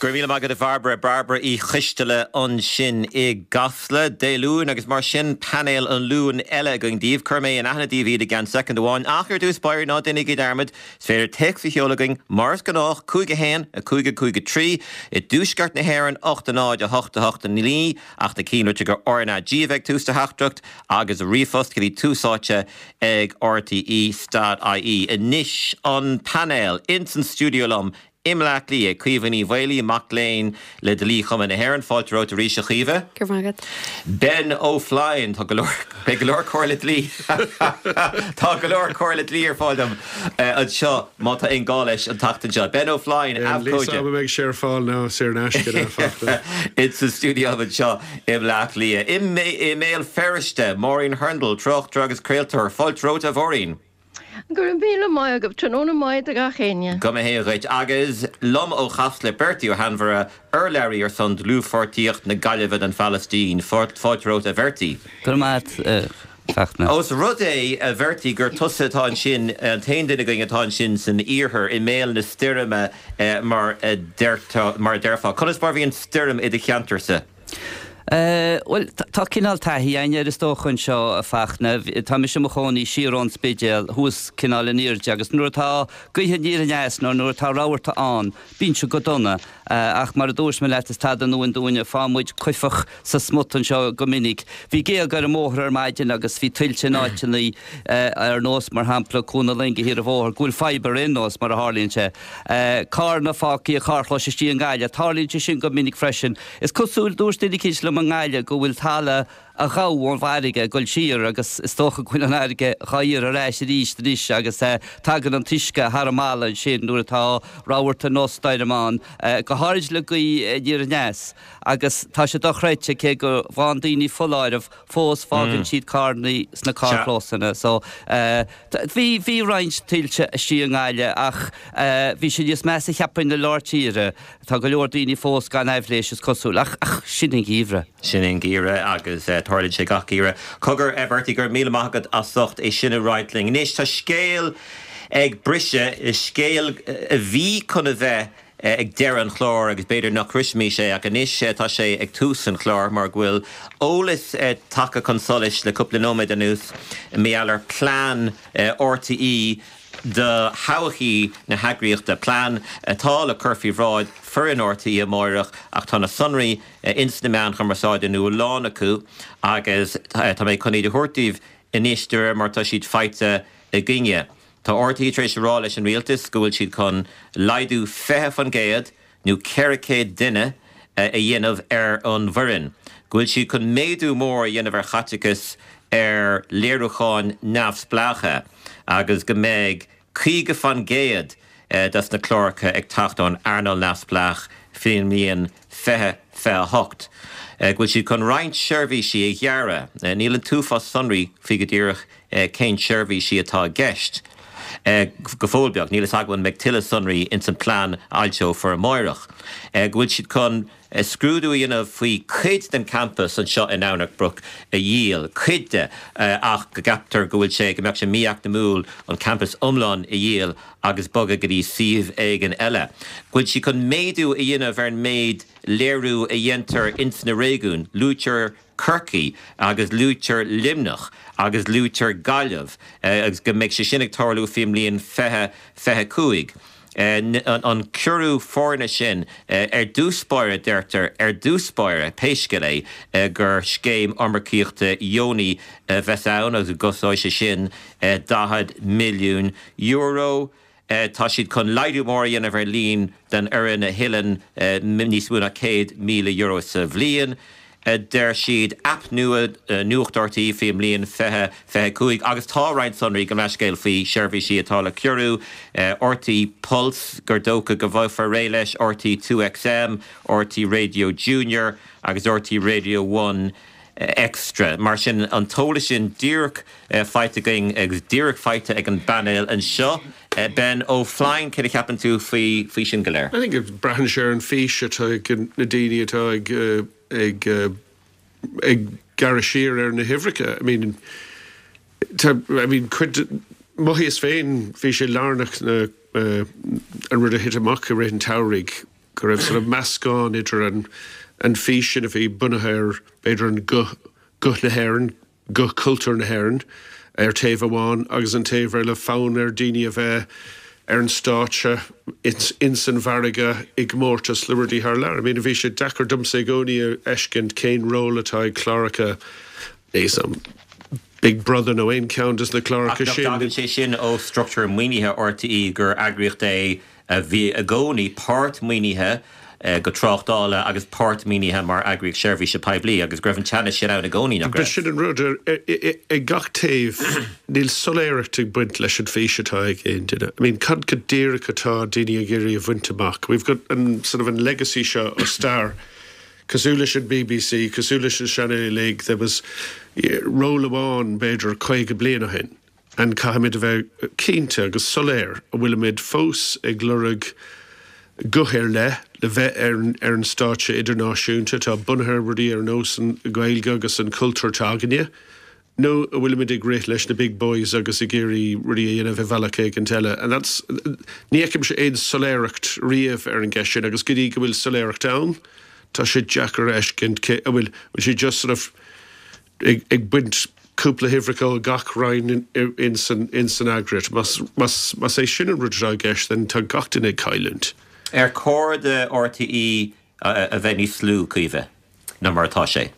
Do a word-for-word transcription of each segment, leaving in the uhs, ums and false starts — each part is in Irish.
Go raibh míle maith agat a Bhairbre Bairbre Uí Choisteala ansin i gCasla Dé Luain agus mar sin painéal an Luain eile againn daoibh cuirfidh mé in aithne daoibh iad i gceann soicind amháin ach ar dtús báire ná déanaigí dearmad is féidir téacs a sheoladh chugainn mar is gnách cúig a haon a cúig a cúig a trí i dtuaisceart na hÉireann ocht a náid a hocht a hocht a naoi ach ná cinnte gur RnaG a bheidh tús do theachtaireacht agus ríomhphost go dtí Tús Áite ag RTÉ dot IE. Anois an painéal ins an stiúideo liom i mBleá Cliath, Caoimhe Ní Mhaolaí, mac léinn le Dlí-Chumann na hÉireann, fáilte romhat arís a Chaoimhe. Go raibh maith agat. Ben Ó Floinn, tá go leor, beidh go leor comhairle dlí, tá go leor comhairle dlí ar fáil dom anseo má tá aon gá leis an tseachtain seo. Ben Ó Floinn, abhcóide. Níl a fhios agam an mbeidh sé ar fáil nó saor in aisce ná fachta. Insa stiúideo anseo i mBleá Cliath. I mBéal Feirste, Máirín Hurndall, tráchtaire agus craoltóir. Fáilte romhat a Mháirín. Go raibh míle maith agat, tráthnóna maith do gach éinne. Go mba hé dhuit. Agus liom ó Chasla, Bertie Ó hAinmhire, urlabhraí ar son Dlúthpháirtíocht na Gaillimhe don Phalaistín. Fáilte romhat a Bhertie. Go raibh maith agat, a Fachtna. Ós rud é, a Bhertie, gur tusa atá ansin, an t-aon duine againn atá ansin san iarthar, i mbéal na stoirme mar a déarfá, conas mar a bhí an stoirm i do cheantarsa? Bhuel, tá cineál taithí againn air is dócha anseo, a Fachtna. Tá mise i mo chónaí siar ón Spidéal, thuas cineál in airde, agus nuair atá gaoth aniar aneas nó nuair atá rabharta ann, bíonn sé go dona. Ach mar a dúirt mé leat, is tada nua dúinne, faigheann muid cuifeach sa smut anseo go minic. Bhí géaga ar an mbóthar ar maidin agus bhí tuilte in áiteanna ar nós, mar shampla, Cuan na Loinge thiar an bhóthar, go bhfuil fadhb ar aon nós, mar a tharlaíonn sé. Carranna fágtha i carrchlóis istigh i nGaillimh, tarlaíonn sé sin go minic freisin. Is cosúil, dúirt duine eicínt liom i nGaillimh go bhfuil talamh a ghabhadh ón bhfarraige ag dul siar agus is dócha go bhfuil an fharraige dhá iarraidh ar ais arís anois agus tagann an t-uisce thar an mballa ansin nuair atá rabharta nó stoirm ann, go háirid le gaoth aniar aneas. Agus tá sé dochreidte, cé go bhfaigheann daoine foláireamh, fós fágann siad carranna sna carrchlósanna. So, bhí, bhí roinnt tuilte istigh i nGaillimh ach bhí sé níos measa cheapfainn i lár tíre. Tá go leor daoine fós gan aibhléis is cosúil, ach, ach sin an geimhreadh. Sin an geimhreadh agus tarlaíonn sé gach geimhreadh. Cogar, a Bhertie, go raibh míle maith agat as ucht é sin a roinnt linn. Anois, tá scéal ag briseadh, scéal a bhí chun a bheith ag deireadh an chláir agus b'fhéidir nach sroisfimis é ach anois tá sé ag tús an chláir mar go bhfuil eolas tagtha chun solais le cúpla nóiméad anuas mar gheall ar plean RTÉ do thodhchaí na heagraíochta, plean atá le cur faoi bhráid foireann RTÉ amáireach ach tá na sonraí ins na meáin chumarsáide nó a lán acu agus tá mé chun iad a thabhairt daoibh anois de réir mar atá siad faighte againne. Tá RTÉ tar éis a rá leis an rialtas go bhfuil siad chun laghdú fiche faoin gcéad nó ceithre chéad duine a dhéanamh ar an bhfoireann, go bhfuil siad chun méadú mór a dhéanamh ar chaiteachas ar léiriúcháin neamhspleácha agus go mbeidh caoga faoin gcéad des na cláracha ag teacht ón earnáil neamhspleách faoin mbliain fiche fiche a hocht. Go bhfuil siad chun roinnt seirbhísí a ghearradh. Níl an t-uafás sonraí faoi go díreach cén seirbhísí atá i gceist. Go fóill beag, níl fhios agam an mbeidh tuilleadh sonraí ins an plean a fhoilseofar amáireach. Go bhfuil siad chun scrúdú a dhéanamh faoi cuid den campas anseo i nDomhnach Broc a dhíol, cuid de, ach go gceaptar go bhfuil sé, go mbeadh sé mí-eacnamúil an campas iomlán a dhíol agus bogadh go dtí suíomh éigin eile. Go bhfuil siad chun méadú a dhéanamh ar an méid léiriú a dhéantar ins na réigiúin. Luaitear Corcaigh agus luaitear Luimneach agus luaitear Gaillimh agus go mbeidh sé sin ag tarlú faoin mbliain fiche fiche cúig. An ciorrú foirne sin, ar dtús báire, deirtear, ar dtús báire, pé scéal é, gur scéim iomarcaíochta dheonaí a bheas ann agus go gcosnóidh sé sin daichead milliún euro. Tá siad chun laghdú mór a dhéanamh ar líon den fhoireann a thuilleann níos mó ná céad míle euro sa bhliain, a deir siad. Aip nua Nuacht RTÉ faoin mbliain fiche fiche cúig agus tá roinnt sonraí, gabh mo leithscéal, faoi sheirbhísí atá le ciorrú, RTÉ Pulse, gur dócha go bhfaighfear réidh leis, RTÉ Two XM, RTÉ Radio Junior agus RTÉ Radio One Extra. Mar sin, an t-eolas sin díreach faighte againn agus díreach faighte ag an bpainéal anseo. Ben Ó Floinn, céard a cheapann tú faoi faoi sin go léir? I think braitheann sé ar an fís atá ag na daoine atá ag ag ag gearradh siar ar na huimhreacha. I mean, tá, I mean, cuid, mothaíos féin, bhí sé lárnach na, an rud a thit amach i rith an tsamhraidh, go raibh sort of meascán idir an an fís sin a bhí bunaithe ar b'fhéidir an guth guth na hÉireann, guth cultúr na hÉireann ar taobh amháin agus an taobh eile fonn ar daoine a bheith ar an stáitse ins, ins an bhfarraige i gcomórtas le rudaí thar lear. I mean, bhí sé deacair domsa i gcónaí a fheiscint cén ról atá ag cláracha um, Big Brother nó aon ceann des na cláracha sin. Tagann sé sin ó struchtúr maoinithe RTÉ gur eagraíocht é a bhí i gcónaí páirt maoinithe go tráchtála agus páirt maoinithe mar eagraíocht seirbhíse poiblí agus go raibh an teannas sin ann i gcónaí nach raibh. Sin an rud ag gach taobh níl soiléireacht ag baint leis an bhfís atá ag aon duine. I mean cad go díreach atá daoine ag iarraidh a bhaint amach. We've got an sort of an legacy seo ó stair cosúil leis an BBC, cosúil leis an Channel League, there was ról amháin b'fhéidir caoga bliain ó shin. An caithfimid a bheith cinnte agus soiléir an bhfuilimid fós ag lorg guth ar leith le bheith ar, ar an stáitse idirnáisiúnta tá bunaithe rudaí ar nós an Ghaeilge agus an cultúr againne. Nó an bhfuilimid ag rith leis na big boys agus ag iarraidh rudaí a dhéanamh i bhealach éigin eile. And that's ní fheicimse aon soiléireacht riamh ar an gceist sin agus go dtí go bhfuil soiléireacht ann, tá sé deacair a fheiscint an bhfuil bhfuil sé just sort of ag, ag baint cúpla huimhreacha gach roinn in san in san eagraíocht. Más, más, más é sin an rud atá i gceist, then tá gach duine ag cailliúint. Ar chóir do RTÉ a bheith níos lú Caoimhe ná mar atá sé.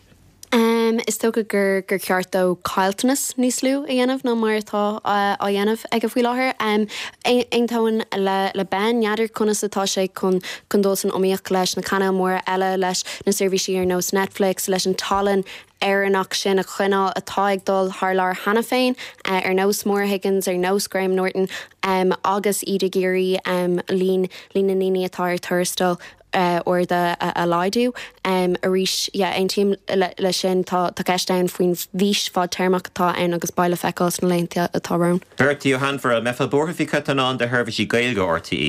Um, is dócha gur gur ceart dó caillteanas níos lú a dhéanamh ná mar atá á dhéanamh aige faoi láthair. Um, Aontaím le le Ben n'fheadar conas atá sé chun chun dul san iomaíocht leis na cainéil móra eile leis na seirbhísí ar nós Netflix leis an tallann Éireannach sin a choinneáil atá ag dul thar lear cheana féin uh, ar nós Maura Higgins ar nós Graham Norton um, agus iad ag iarraidh um, líon líon na ndaoine atá ar tuarastal uh, arda a, a laghdú. Um, arís yeah, aontaím le, le sin tá tá ceist ann faoin bhfís fadtéarmach atá ann agus beidh le feiceáil sna laethanta atá romhainn. Bertie Ó hAinféir mbeifeá buartha faoi chéatadán de sheirbhísí Gaeilge RTÉ.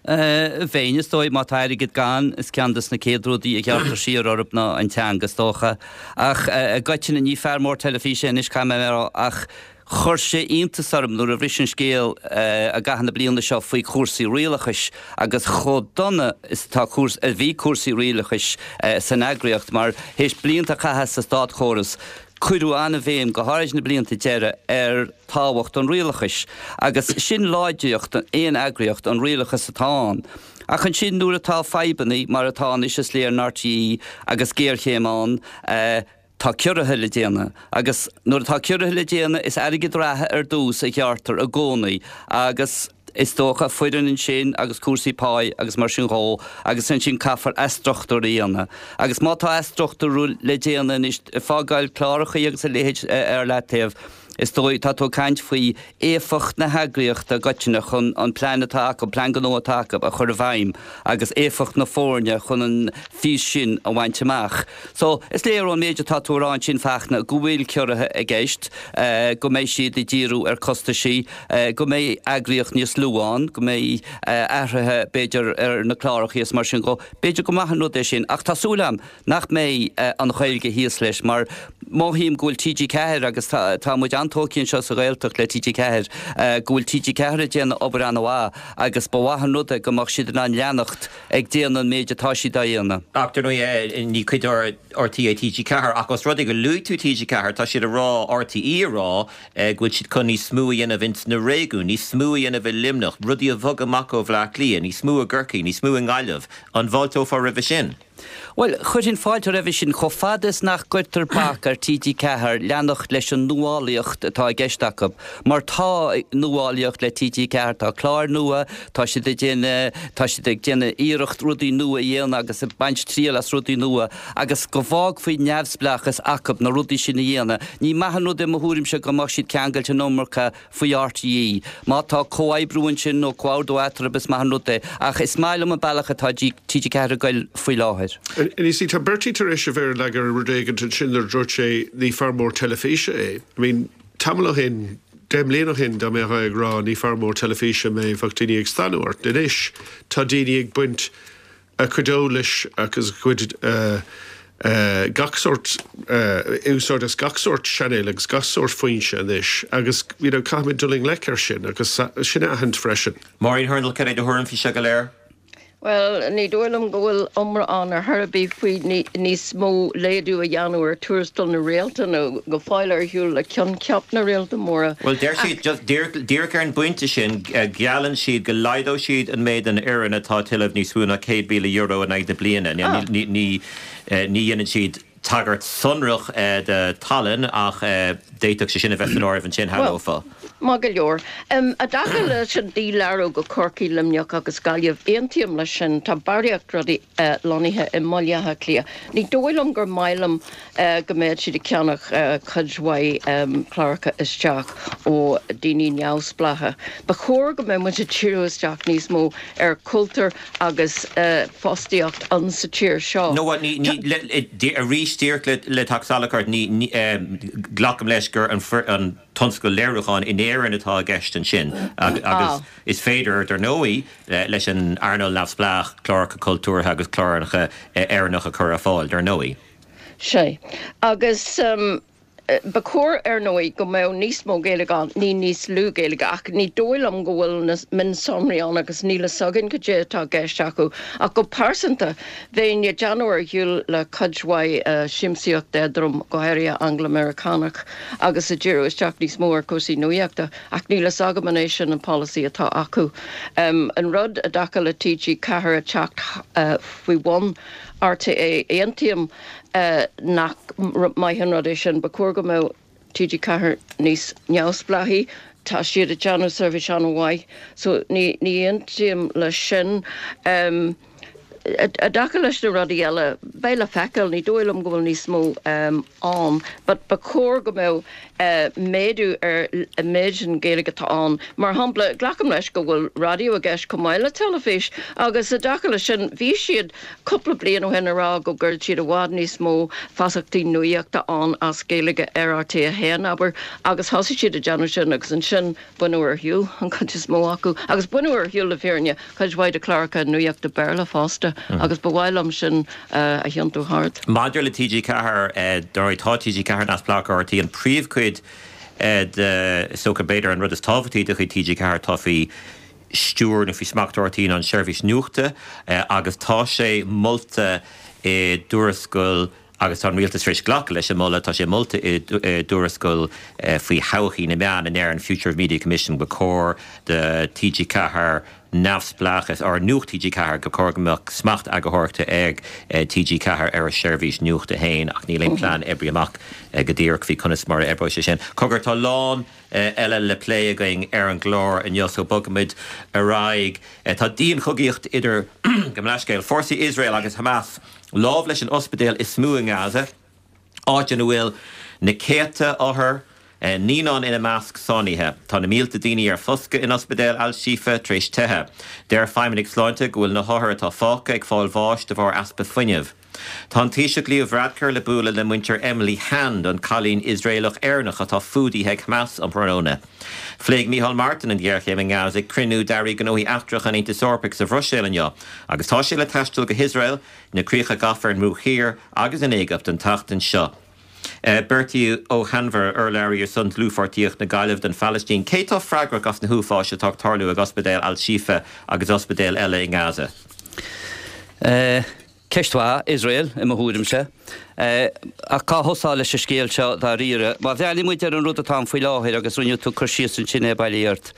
Bheinn is dóigh má tá airgead gann is ceann des na chéad rudaí a ghearrtar siar orthu ná an teanga is dócha. Ach i gcoitinne ní fear mór teilifíse anois cam ach chuir sé iontas orm nuair a bhris an scéal i gcaitheamh na bliana seo faoi chúrsaí rialachais agus chomh dona is tá a bhí cúrsaí rialachais san eagraíocht mar théis blianta a chaitheamh sa státchóras. Cuireadh an-bhéim go háirithe na blianta deiridh ar tábhacht an rialachais, agus sin láidreacht aon eagraíocht an rialachas atá ann. Ach ansin nuair atá fadhbanna mar atá anois is léir in RTÉ agus géarchéim ann, eh, tá ciorruithe le déanamh, agus nuair atá ciorruithe le déanamh is airgead reatha ar dtús a ghearrtar i gcónaí agus is dócha foireann ansin agus cúrsaí pá agus mar sin dhó agus ansin caithfear athstruchtúrú a dhéanamh. Agus má tá athstruchtúrú le déanamh anois fágáil cláracha agus a leithéid ar leataobh, is dóigh tá tú ag caint faoi éifeacht na heagraíochta i gcoitinne chun an plean atá acu, plean gnó atá acu a chur i bhfeidhm agus éifeacht na foirne chun an fís sin a bhaint amach. So is léir ón méid atá tú a rá ansin Fachtna go bhfuil ciorruithe i gceist, go mbeidh siad ag díriú ar costaisí, go mbeidh eagraíocht níos lú ann, go mbeidh athruithe b'fhéidir ar na cláracha is mar sin dhó. B'fhéidir go maith an rud é sin ach tá súil agam nach mbeidh an Ghaeilge thíos leis mar mothaím go bhfuil TG Ceathair agus tá muid an-tógtha anseo sa Ghaeltacht le TG Ceathair, go bhfuil TG Ceathair ag déanamh obair an-mhaith agus ba mhaith an rud é go mbeadh siad in ann leanacht ag déanamh an méid atá siad á dhéanamh. Ach dar ndóigh ní cuid RTÉ TG Ceathair ach os rud é go luaigh tú TG Ceathair tá siad ag rá, RTÉ ag rá go bhfuil siad chun níos mó a dhéanamh ins na réigiúin, níos mó a dhéanamh i Luimneach, rudaí a bhogadh amach ó Bhleá Cliath, níos mó i gCorcaigh, níos mó i nGaillimh. An bhfáilteofá roimhe sin? Bhuel, chuirfinn fáilte roimhe sin chomh fada is nach gcuirtear bac ar TG Ceathair leanacht leis an nuálaíocht atá i gceist acu. Mar tá nuálaíocht le TG Ceathair, tá cláir nua, tá siad ag déanamh, tá siad ag déanamh iarracht rudaí nua a dhéanamh agus ag baint triail as rudaí nua agus go bhfágfaí neamhspleáchas acu na rudaí sin a dhéanamh. Ní maith an rud é i mo thuairimse go mbeadh siad ceangailte an iomarca faoi RTÉ. Má tá comhoibriú ansin nó comhordú eatarthu is maith an rud é, ach is maith liom an bealach atá TG Ceathair ag goil faoi láthair. And you see, tá Bertie tar éis a bheith leag ar rud éigin ansin nuair a dúirt sé ní fear mór teilifíse é. I mean, tamall ó shin, deich mbliana ó shin dá mbeadh ag rá ní fear mór teilifíse mé bheadh daoine ag stánadh ort. Anois tá daoine ag baint a cuid eolais agus a cuid uh, uh, gach sórt uh, úsáid as gach sórt channel agus gach sórt foinse anois agus you know, caithfimid dul i ngleic air sin agus sin a aithint freisin. Maureen Hurndall cad é do thuairim faoi seo go léir? Well, ní dóigh liom go bhfuil iomrá ann ar chor ar bith faoi níos mó laghdú a dhéanamh ar tuarastal na réalta nó go fóill ar shiúl le coincheap na réalta móra. Well, deir siad just díreach ar an bpointe sin geallann siad go laghdóidh siad an méid an fhoireann atá ag tuilleamh níos mó ná céad míle euro in aghaidh na bliana. Ní ní ní dhéanann siad tagairt sonrach do tallann ach d'fhéadfadh sé sin a bheith san áireamh ansin shamhlófá. Maith go leor. I dtaca leis an dílárú go Corcaigh, Luimneach agus Gaillimh, aontaím leis sin. Tá barraíocht rudaí lonnaithe i mBaile Átha Cliath. Ní dóigh liom gur maith liom go mbeadh siad ag ceannach cuid mhaith cláracha isteach ó daoine neamhspleácha. Ba chóir go mbeadh muid ag díriú isteach níos mó ar cultúr agus fostaíocht an sa tír seo. No, ní arís díreach le teacht salach ort, ní glacaim leis gur an an tionscal léiriúcháin in Éirinn atá i gceist ansin agus is féidir dar ndóigh leis an earnáil neamhspleách cláracha cultúrtha agus cláracha Éireannacha a chur ar fáil dar ndóigh. Sé. Agus ba chóir ar ndóigh go mbeadh níos mó Gaeilge ann, ní níos lú Gaeilge ach ní dóigh liom go bhfuil na mionsonraí ann agus níl a fhios againn cad é atá i gceist acu. Ach go pearsanta, bheinn ag déanamh ar shiúl le cuid mhaith siamsaíocht éadrom, go háirithe Angla-Meiriceánach, agus ag díriú isteach níos mó ar chúrsaí nuachta, ach níl a fhios agam an é sin an polasaí atá acu. An rud i dtaca le TG Ceathair a teacht faoi bhun RTÉ, aontaím nach maith an rud é sin, ba chóir go mbeadh TG Ceathair níos neamhspleáchaí, tá siad ag déanamh seirbhís an-mhaith, so ní ní aontaím leis sin. I dtaca leis na rudaí eile, beidh le feiceáil, ní dóigh liom go bhfuil níos mó ann, but ba chóir go mbeadh méadú ar an méid sin Gaeilge atá ann. Mar shampla, glacaim leis go bhfuil raidió i gceist chomh maith le teilifís agus i dtaca leis sin, bhí siad cúpla bliain ó shin ag rá go gcuirfeadh siad i bhfad níos mó feasachtaí nuachta ann as Gaeilge ar RTÉ a haon, abair, agus thosaigh siad ag déanamh sin agus ansin baineadh ar shiúl an chuid is mó acu. Agus baineadh ar shiúl le fírinne cuid mhaith de chláracha nuachta Béarla fosta agus ba mhaith liom sin a thiontú thart. Maidir le TG Ceathair, dar ndóigh tá TG Ceathair neamhspleách ar RTÉ, an príomhchuid de, is dócha b'fhéidir an rud is tábhachtaí de chuid TG Ceathair atá faoi stiúir nó faoi smacht RTÉ ná an tseirbhís nuachta agus tá sé molta i dtuarascáil agus tá an rialtas tar éis glacadh leis an moladh, tá sé molta i dtuarascáil faoi thodhchaí na meán in Éirinn, Future of Media Commission, go cóir do TG Ceathair neamhspleáchas, ar Nuacht TG Ceathair, go cóir go mbeadh smacht eagarthóireachta ag TG Ceathair ar a seirbhís nuachta féin ach níl aon plean oibrithe amach go díreach faoi conas mar a oibreoidh sé sin. Cogar, tá a lán eile le plé againn ar an gclár inniu so bogfaimid ar aghaidh. Tá dianchogaíocht idir, gabh mo leithscéal, fórsaí Iosrael agus Hamas lámh leis an ospidéal is mó i nGaza, áit ina bhfuil na céadta othar, naíonáin ina measc, sáinnithe. Tá na mílte daoine ar foscadh in ospidéal Al-Shifa tar éis teitheadh. Deir feidhmeannaigh sláinte go bhfuil na hothair atá fágtha ag fáil bháis de bharr easpa fuinnimh. Tá an Taoiseach Leo Varadkar le bualadh le muintir Emily Hand, an cailín Iosraelach-Éireannach atá fuadaithe ag Hamas um thráthnóna. Phléigh Micheál Martin an ghéarchéim i nGaza ag cruinniú d'airí gnóthaí eachtracha an Aontais Eorpaigh sa Bhruiséil inniu agus tá sé le taisteal go hIosrael, na críocha gafa ar an mBruach Thiar agus an Éigipt an tseachtain seo. Bertie Ó hAinmhire, urlabhraí ar son Dlúthpháirtíocht na Gaillimhe don Phalaistín, Cé atá freagrach as na huafáis atá ag tarlú ag ospidéal Al-Shifa agus ospidéil eile i nGaza? Ceist mhaith, Iosrael, i mo thuairimse. Ach cá thosá leis an scéal seo dáiríre? Má bhreathnaíonn muid ar an rud atá ann faoi láthair, agus rinne tú cur síos ansin é bailí ort,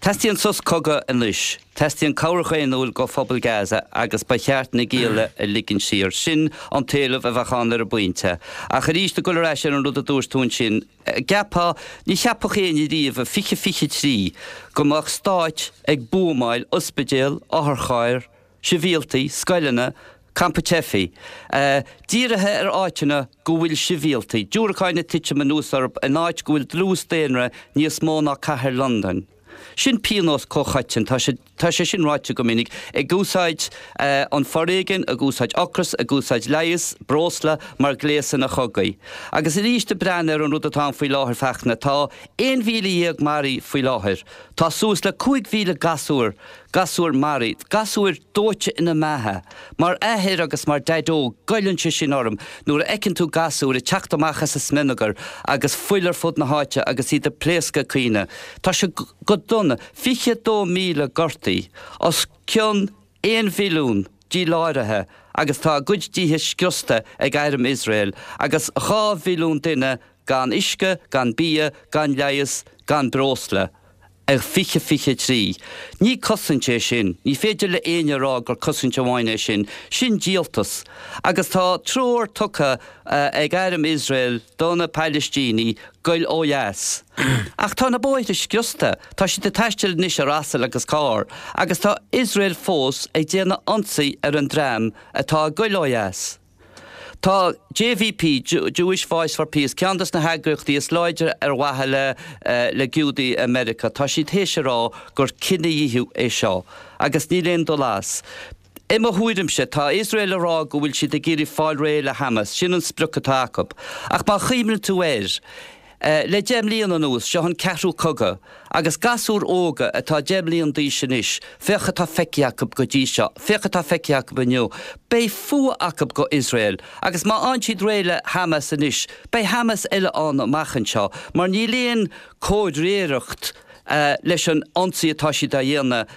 teastaíonn sos cogaidh anois, teastaíonn cabhair dhaonnúil go phobal Gaza agus ba cheart na gialla a ligean saor. Sin an t-éileamh a bheadh ann ar an bpointe. Ach arís, ag dul ar ais ar an rud a dúirt tú ansin, gceapfá, ní cheapfadh éinne riamh i fiche fiche trí go mbeadh stáit ag buamáil ospidéal, otharchairr, sibhialtaigh, scoileanna, campa teifigh, dírithe ar áiteanna go bhfuil sibhialtaigh, diúracáin ag titim anuas orthu in áit go bhfuil dlús daonra níos mó ná cathair Londain. Sin pionós comhchoiteann, tá sé, tá sé sin ráite go minic, ag úsáid an foréigean, ag úsáid ocras, ag úsáid leigheas, breosla mar ghléasanna chogaidh. Agus arís ag breathnú ar an rud atá ann faoi láthair Fachtna, tá aon mhíle dhéag maraithe faoi láthair, tá suas le cúig mhíle gasúr, gasúir maraithe, gasúir dóite ina mbeatha. Mar athair agus mar dhaideo, goilleann sé sin orm nuair a fheiceann tú gasúir ag teacht amach as an smionagar agus fuil ar fud na háite agus iad ag pléascadh ag caoineadh. Tá sé go dona. Fiche dó míle gortaithe, os cionn Aon mhilliún díláraithe agus tá a gcuid tithe scriosta ag arm Iosrael agus dhá mhilliún duine gan uisce, gan bia, gan leigheas, gan breosla. Ar fiche fiche trí. Ní cosaint é sin, ní féidir le éinne a rá gur cosaint amháin é sin, sin díoltas. Agus tá treoir tugtha ag arm Iosrael do na Palaistínigh goil ó dheas. Ach tá na bóithre scriosta, tá siad ag taisteal anois ar asail agus carr, agus tá Iosrael fós ag déanamh ionsaí ar an dream atá ag goil ó dheas. Tá JVP, Jewish Voice for Peace, ceann des na heagraíochtaí is láidre ar mhaithe le le Giúdaigh i Meiriceá, tá siad théis a rá gur cinedhíothú é seo agus níl aon dul as. I mo thuairimse, tá Iosrael ag rá go bhfuil siad ag iarraidh fáil réidh le Hamas, sin an sprioc atá acu. Ach má chuimhníonn tú air, Le deich mbliana anuas, seo an ceathrú cogadh, agus gasúir óga atá deich mbliana d'aois anois, féach atá feicthe acu go dtí seo, féach atá feicthe acu inniu, beidh fuath acu go Iosrael, agus má fhaigheann siad réidh le Hamas anois, beidh Hamas eile ann amach anseo, mar níl aon comhréireacht leis an ionsaí atá siad á dhéanamh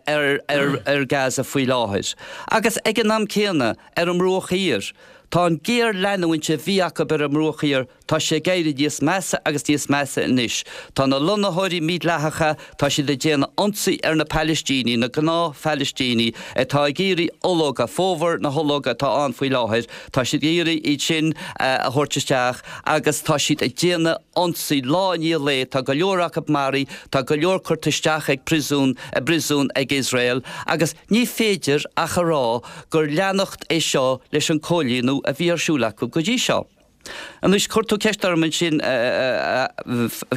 ar ar Gaza faoi láthair. Agus ag an am céanna, ar an mBruach Thiar, Tá an géarleanúint a bhí acu ar an mBruach Thiar, tá sé ag éirí níos measa agus níos measa anois. Tá na lonnaitheoirí mídhleathacha, tá siad ag déanamh ionsaí ar na Palaistínigh, na gnáth-Phalaistínigh atá ag iarraidh ológa, fómhar na hológa atá ann faoi láthair, tá siad ag iarraidh iad sin a thabhairt isteach agus tá siad ag déanamh ionsaí lá i ndiaidh lae, tá go leor acu maraithe, tá go leor curtha isteach ag príosún, i bpríosún ag Iosrael agus ní féidir ach a rá gur leanacht é seo leis an cóilíniú a bhí ar siúl acu go dtí seo. Anois, chuir tú ceist orm ansin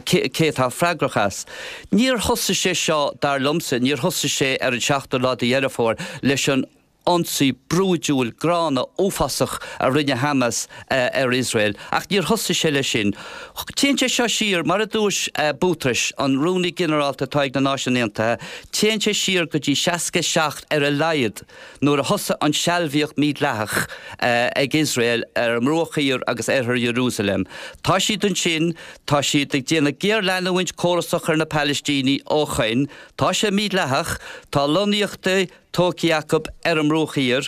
cé atá freagrach as. Níor thosaigh sé seo, dar liomsa, níor thosaigh sé ar an seachtú lá de Dheireadh Fómhair leis an ionsaí brúidiúil, gránna, uafásach a rinne Hamas ar Iosrael. Ach níor thosaigh sé leis sin. Téann sé seo siar, mar a dúirt Guterres, an Rúnaí Ginearálta atá ag na Náisiúin Aontaithe, téann sé siar go dtí seasca seacht ar a laghad nuair a thosaigh an sealbhaíocht mhídhleathach ag Iosrael ar an mBruach Thiar agus Oirthear Iarúsailéim. Tá siad ansin, tá siad ag déanamh géarleanúint córasach ar na Palaistínigh ó shoin, tá sé mídhleathach, tá lonnaíochtaí tógtha acu ar an mBruach Thiar,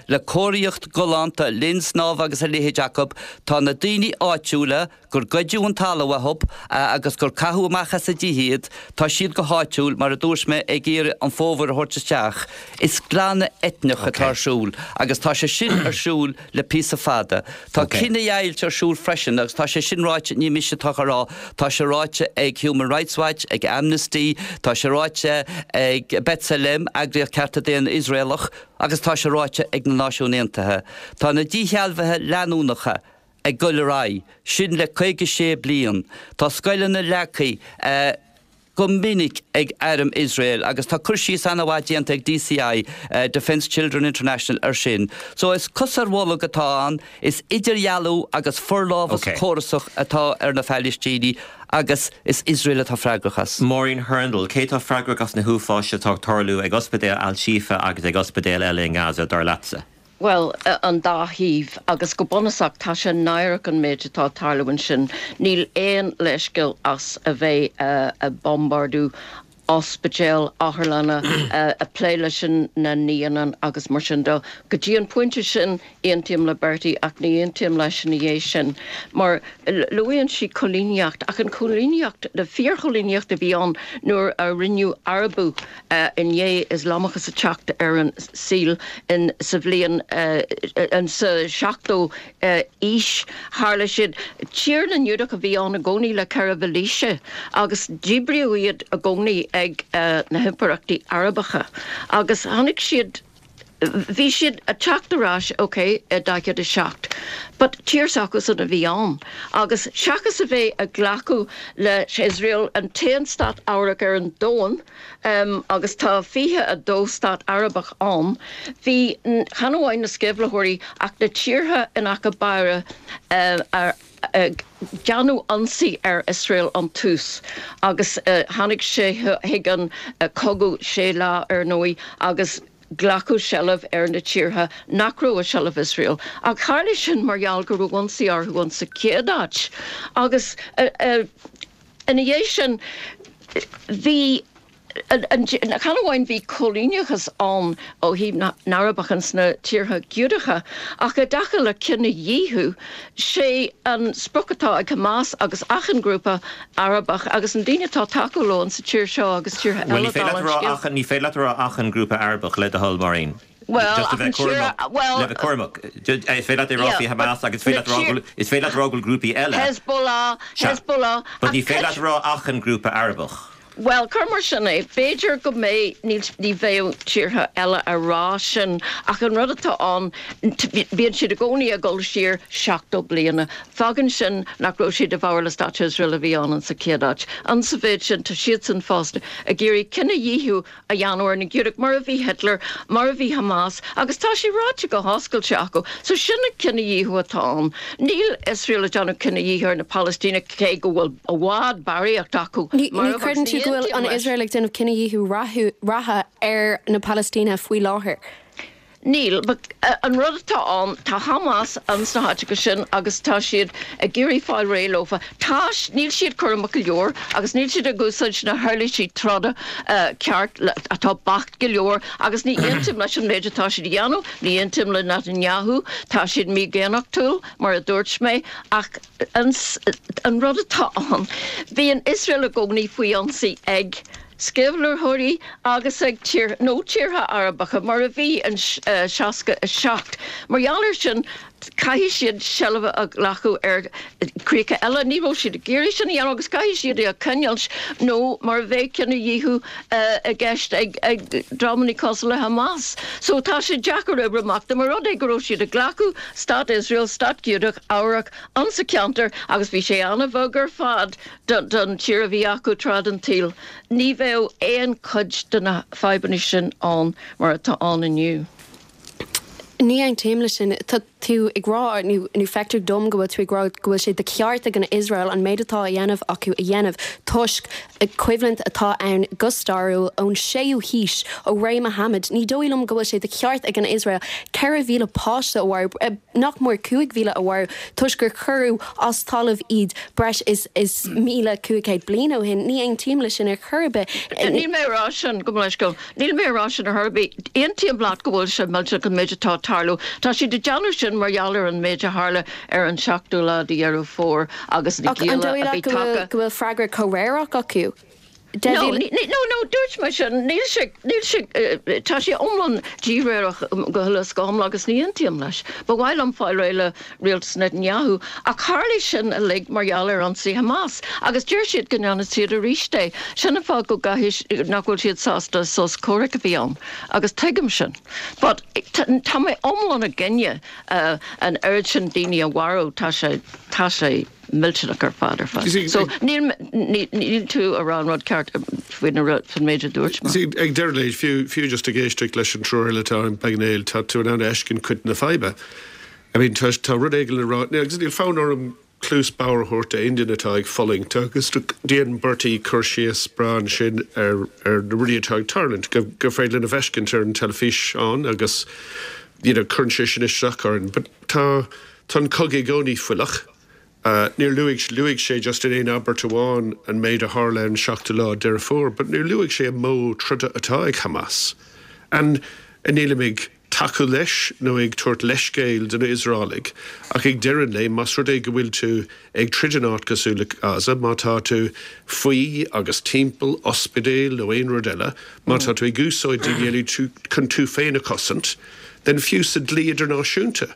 le cóiríocht ghalánta, linn snámha agus a leithéid acu. Tá na daoine áitiúla, gur goideadh an talamh uathu agus gur caitheadh amach as a dtithe iad, tá siad go háitiúil, mar a dúirt mé, ag iarraidh an fómhar a thabhairt isteach. Is glanadh eitneach atá ar siúl agus tá sé sin ar siúl le píosa fada. Tá cinedheighilt ar siúl freisin agus tá sé sin ráite, ní mise atá á rá, tá sé ráite ag Human Rights Watch, ag Amnesty, tá sé ráite ag B'Tselem, eagraíocht cearta daonna Iosraelach, agus tá sé ráite ag na Náisiúin Aontaithe. Tá na díshealbhuithe leanúnacha ag dul ar aghaidh, sin le caoga sé bliain. Tá scoileanna leagtha go minic ag arm Iosrael agus tá cur síos an-mhaith déanta ag DCI, Defence Children International, ar sin. So is cos ar bholg atá ann, is idirdhealú agus forlámhas córasach atá ar na Palaistínigh agus is Iosrael atá freagrach as. Maureen Hurndall, Cé atá freagrach as na huafáis atá ag tarlú ag ospidéal Al-Shifa agus ag ospidéil eile i nGaza, dar leatsa? Bhuel, an dá thaobh, agus go bunúsach tá sé náireach an méid atá ag tarlú ansin. Níl aon leithscéal as a bheith ag bombardú ospidéil, otharlanna, ag plé leis na naíonáin agus mar sin de. Go dtí an pointe sin, aontaím le Bertie ach ní aontaím leis ina dhiaidh sin mar luann sí coilíneacht ach an choilíneacht, na fíorchoilíneacht a bhí ann nuair a rinneadh Arabú i ndiaidh Ioslamachas a teacht ar an saol in sa bhliain in sa seachtú aois tharla siad tír na nGiúdach a bhí ann i gcónaí le ceithre mhílaoise agus díbríodh iad i gcónaí ag na himpireachtaí Arabacha agus tháinig siad bhí siad ag teacht ar ais ok i daichead a seacht but tír s'acusan a bhí ann agus seachas a bheith ag glacadh le Iosrael an t-aon stát Arabach ar an domhan um, agus tá fiche a dó stát Arabach ann bhí chan amháin na sceimhlitheoirí ach na tíortha in aice báire uh, ar ag déanamh ionsaí ar Iosrael ón tús agus tháinig sé chuig an cogadh sé lá ar ndóigh agus glacadh seilbh ar na tíortha nach raibh i seilbh Iosrael. Ach tharla sin mar gheall go raibh ionsaí orthu an sa chéad áit. Agus ina dhiaidh sin bhí Chan amháin bhí coilíneachas ann ó thaobh na nArabach sna tíortha Giúdacha, ach i dtaca le cinedhíothú, sé an sprioc atá ag Hamas agus achan grúpa Arabach agus an daoine atá tacú leo sa tír seo agus tíortha eile. Ní féidir leat a rá achan grúpa Arabach le do thoil, Máirín. Well, Just a bheith cúramach, well, le bheith cúramach. Is féidir leat a rá faoi Hamas agus féidir is féidir leat rá go grúpaí eile. Hezbollah, Hezbollah. But ní féidir leat rá achan grúpa Arabach. Well, cuir mar sin é, b'fhéidir go mbeidh ní bheadh tíortha eile a rá sin ach an rud atá ann bíonn siad i gcónaí ag dul siar seachtó bliana. Fágann sin nach raibh siad i bhfabhar le Stát Iosrael a bhí ann sa chéad áit. An sa mhéid sin tá siadsan fosta ag iarraidh cinedhíothú a dhéanamh ar na Giúdaigh mar a bhí Hitler, mar a bhí Hamas, agus tá sé ráite go hoscailte acu, so sin an cinedhíothú atá ann. Níl Iosrael ag déanamh cinedhíothú ar na Palaistínigh cé go bhfuil i bhfad barraíocht acu. Ní chreideann tú go bhfuil an Iosrael ag déanamh cinedhíothú reatha ar na Palaistínigh faoi láthair? Níl, an rud atá ann tá Hamas an sna háiteacha sin agus tá siad ag iarraidh fáil réidh leofa. Tá níl siad cúramach go leor agus níl siad ag úsáid na huirlisí troda ceart atá beacht go leor agus ní aontaím leis an méid atá siad a dhéanamh, ní aontaím le Netanyahu, tá siad mídhaonnachtúil mar a dúirt mé ach an, an rud atá ann, bíonn Iosrael i gcónaí faoi ionsaí ag sceimhlitheoirí agus ag tír nó tíortha Arabacha mar a bhí an seasca a seacht. Mar gheall air sin caithfidh siad seilbh a ghlacadh ar críocha eile, ní raibh siad ag iarraidh sin a dhéanamh agus caithfidh siad é a choinneáil nó mar a bheidh cinedhíothú i gceist ag ag dreamanna cosúil le Hamas. So tá sé deacair oibriú amach dá mba rud é go raibh siad ag glacadh Stát Iosrael, Stát Giúdach, Eabhrach an sa cheantar agus bhí sé an-bheag ar fad don tír a bhí acu tráth den tsaol. Ní bheadh aon chuid de na fadhbanna sin ann mar atá ann inniu. Ní aontaím leis sin tá tú ag rá nó feictear dom go bhfuil tú ag rá go bhfuil sé de cheart ag an Iosrael an méid atá a dhéanamh acu a dhéanamh toisc coimhlint atá ann go stairiúil ón séú haois ó ré Muhammad. Ní dóigh liom go bhfuil sé de cheart ag an Iosrael ceithre mhíle páiste a mharú nach mór cúig mhíle a mharú toisc gur cuireadh as talamh iad breis is is míle cúig chéad bliain ó shin. Ní aontaím leis sin ar chor ar bith. Níl mé rá sin go go Níl mé rá sin ar bith aontaím leat go bhfuil sé millteach an méid atá tarlú. Tá siad ag déanamh sin mar gheall ar an méid a tharla ar an seachtú lá de Dheireadh Fómhair agus na gialla a bhí tagtha. Go bhfuil freagra comhréireach acu. No, no, no, dúirt mé sin níl sé níl sé tá sé iomlán díréireach go huile is go hiomlán agus ní aontaím leis. Ba mhaith liom fáil réidh le rialtas Netanyahu ach tharla sin uilig mar gheall ar ionsaí Hamas agus deir siad go ndéanfaidh siad arís é. Sin an fáth go gcaithfidh nach bhfuil siad sásta sos comhraic a bhí ann agus tuigim sin. But tá mé iomlán i gcoinne an oiread sin daoine a mharú tá sé tá sé millteanach ar fad ar fad. So níl níl tú ag rá an rud ceart faoin faoin méid a dúirt mé. Ag deireadh leis fiú fiú just ag éisteacht leis an triúr eile atá an bpainéal tá tú in ann fheiscint cuid na faidhbe. I mean tá tá rud éigin le rá agus níl fonn orm cluas bodhar a thabhairt d'aon duine atá ag fulaingt agus déan Bertie cur síos breá ansin ar ar na rudaí atá ag tarlúint go go féidir linn a fheiscint ar an teilifís ann agus you know, cuireann sé sin isteach orainn, but tá tá an cogadh i gcónaí fuilach. Uh, níor luaigh luaigh sé just in aon abairt amháin an méid a tharla an seachtú lá Deireadh Fómhair, but níor luaigh sé an modh troda atá ag Hamas. And nílim ag tacú leis nó ag tabhairt leithscéal do na Iosraelaigh ach ag deireadh an lae más rud é go bhfuil tú ag troid in áit cosúil le Gaza, má tá tú faoi agus timpeall ospidéal nó aon rud eile, má tá tú ag úsáid daoine eile chun tú féin a chosaint, then fiú sa dlí idirnáisiúnta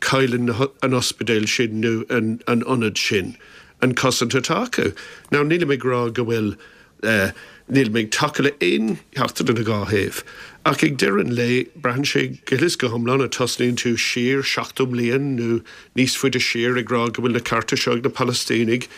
cailleann an ospidéal sin nó an, an ionad sin an cosaint atá acu. Now nílim ag rá go bhfuil uh, nílim ag tacú le aon cheachtar den dhá thaobh. Ach ag deireadh an lae braitheann sé go huile is go hiomlán a tosnaíonn tú siar seachtó bliain nó níos faide siar ag rá go bhfuil na cearta seo ag na Palaistínigh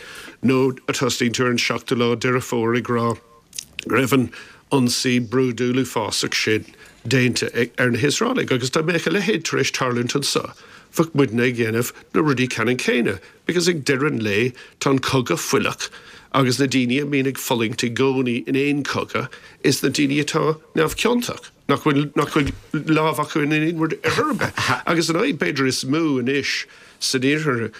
nó a tosnaíonn tú ar an seachtú lá Deireadh Fómhair ag rá go raibh an ionsaí brúidiúil uafásach sin déanta ar na hIosraelaigh agus dá mbeadh a leithéid tar éis tarlúint anseo. Bheadh muidne ag dhéanamh na rudaí ceannann céanna, because ag deireadh an lae tá an cogadh fuilach agus na daoine a mbíonn ag fulaingt i gcónaí in aon chogadh is na daoine atá neamhchiontach, nach bhfuil nach bhfuil lámh acu in aon rud ar chor ar bith. Agus an fhadhb b'fhéidir is mó anois san iarthar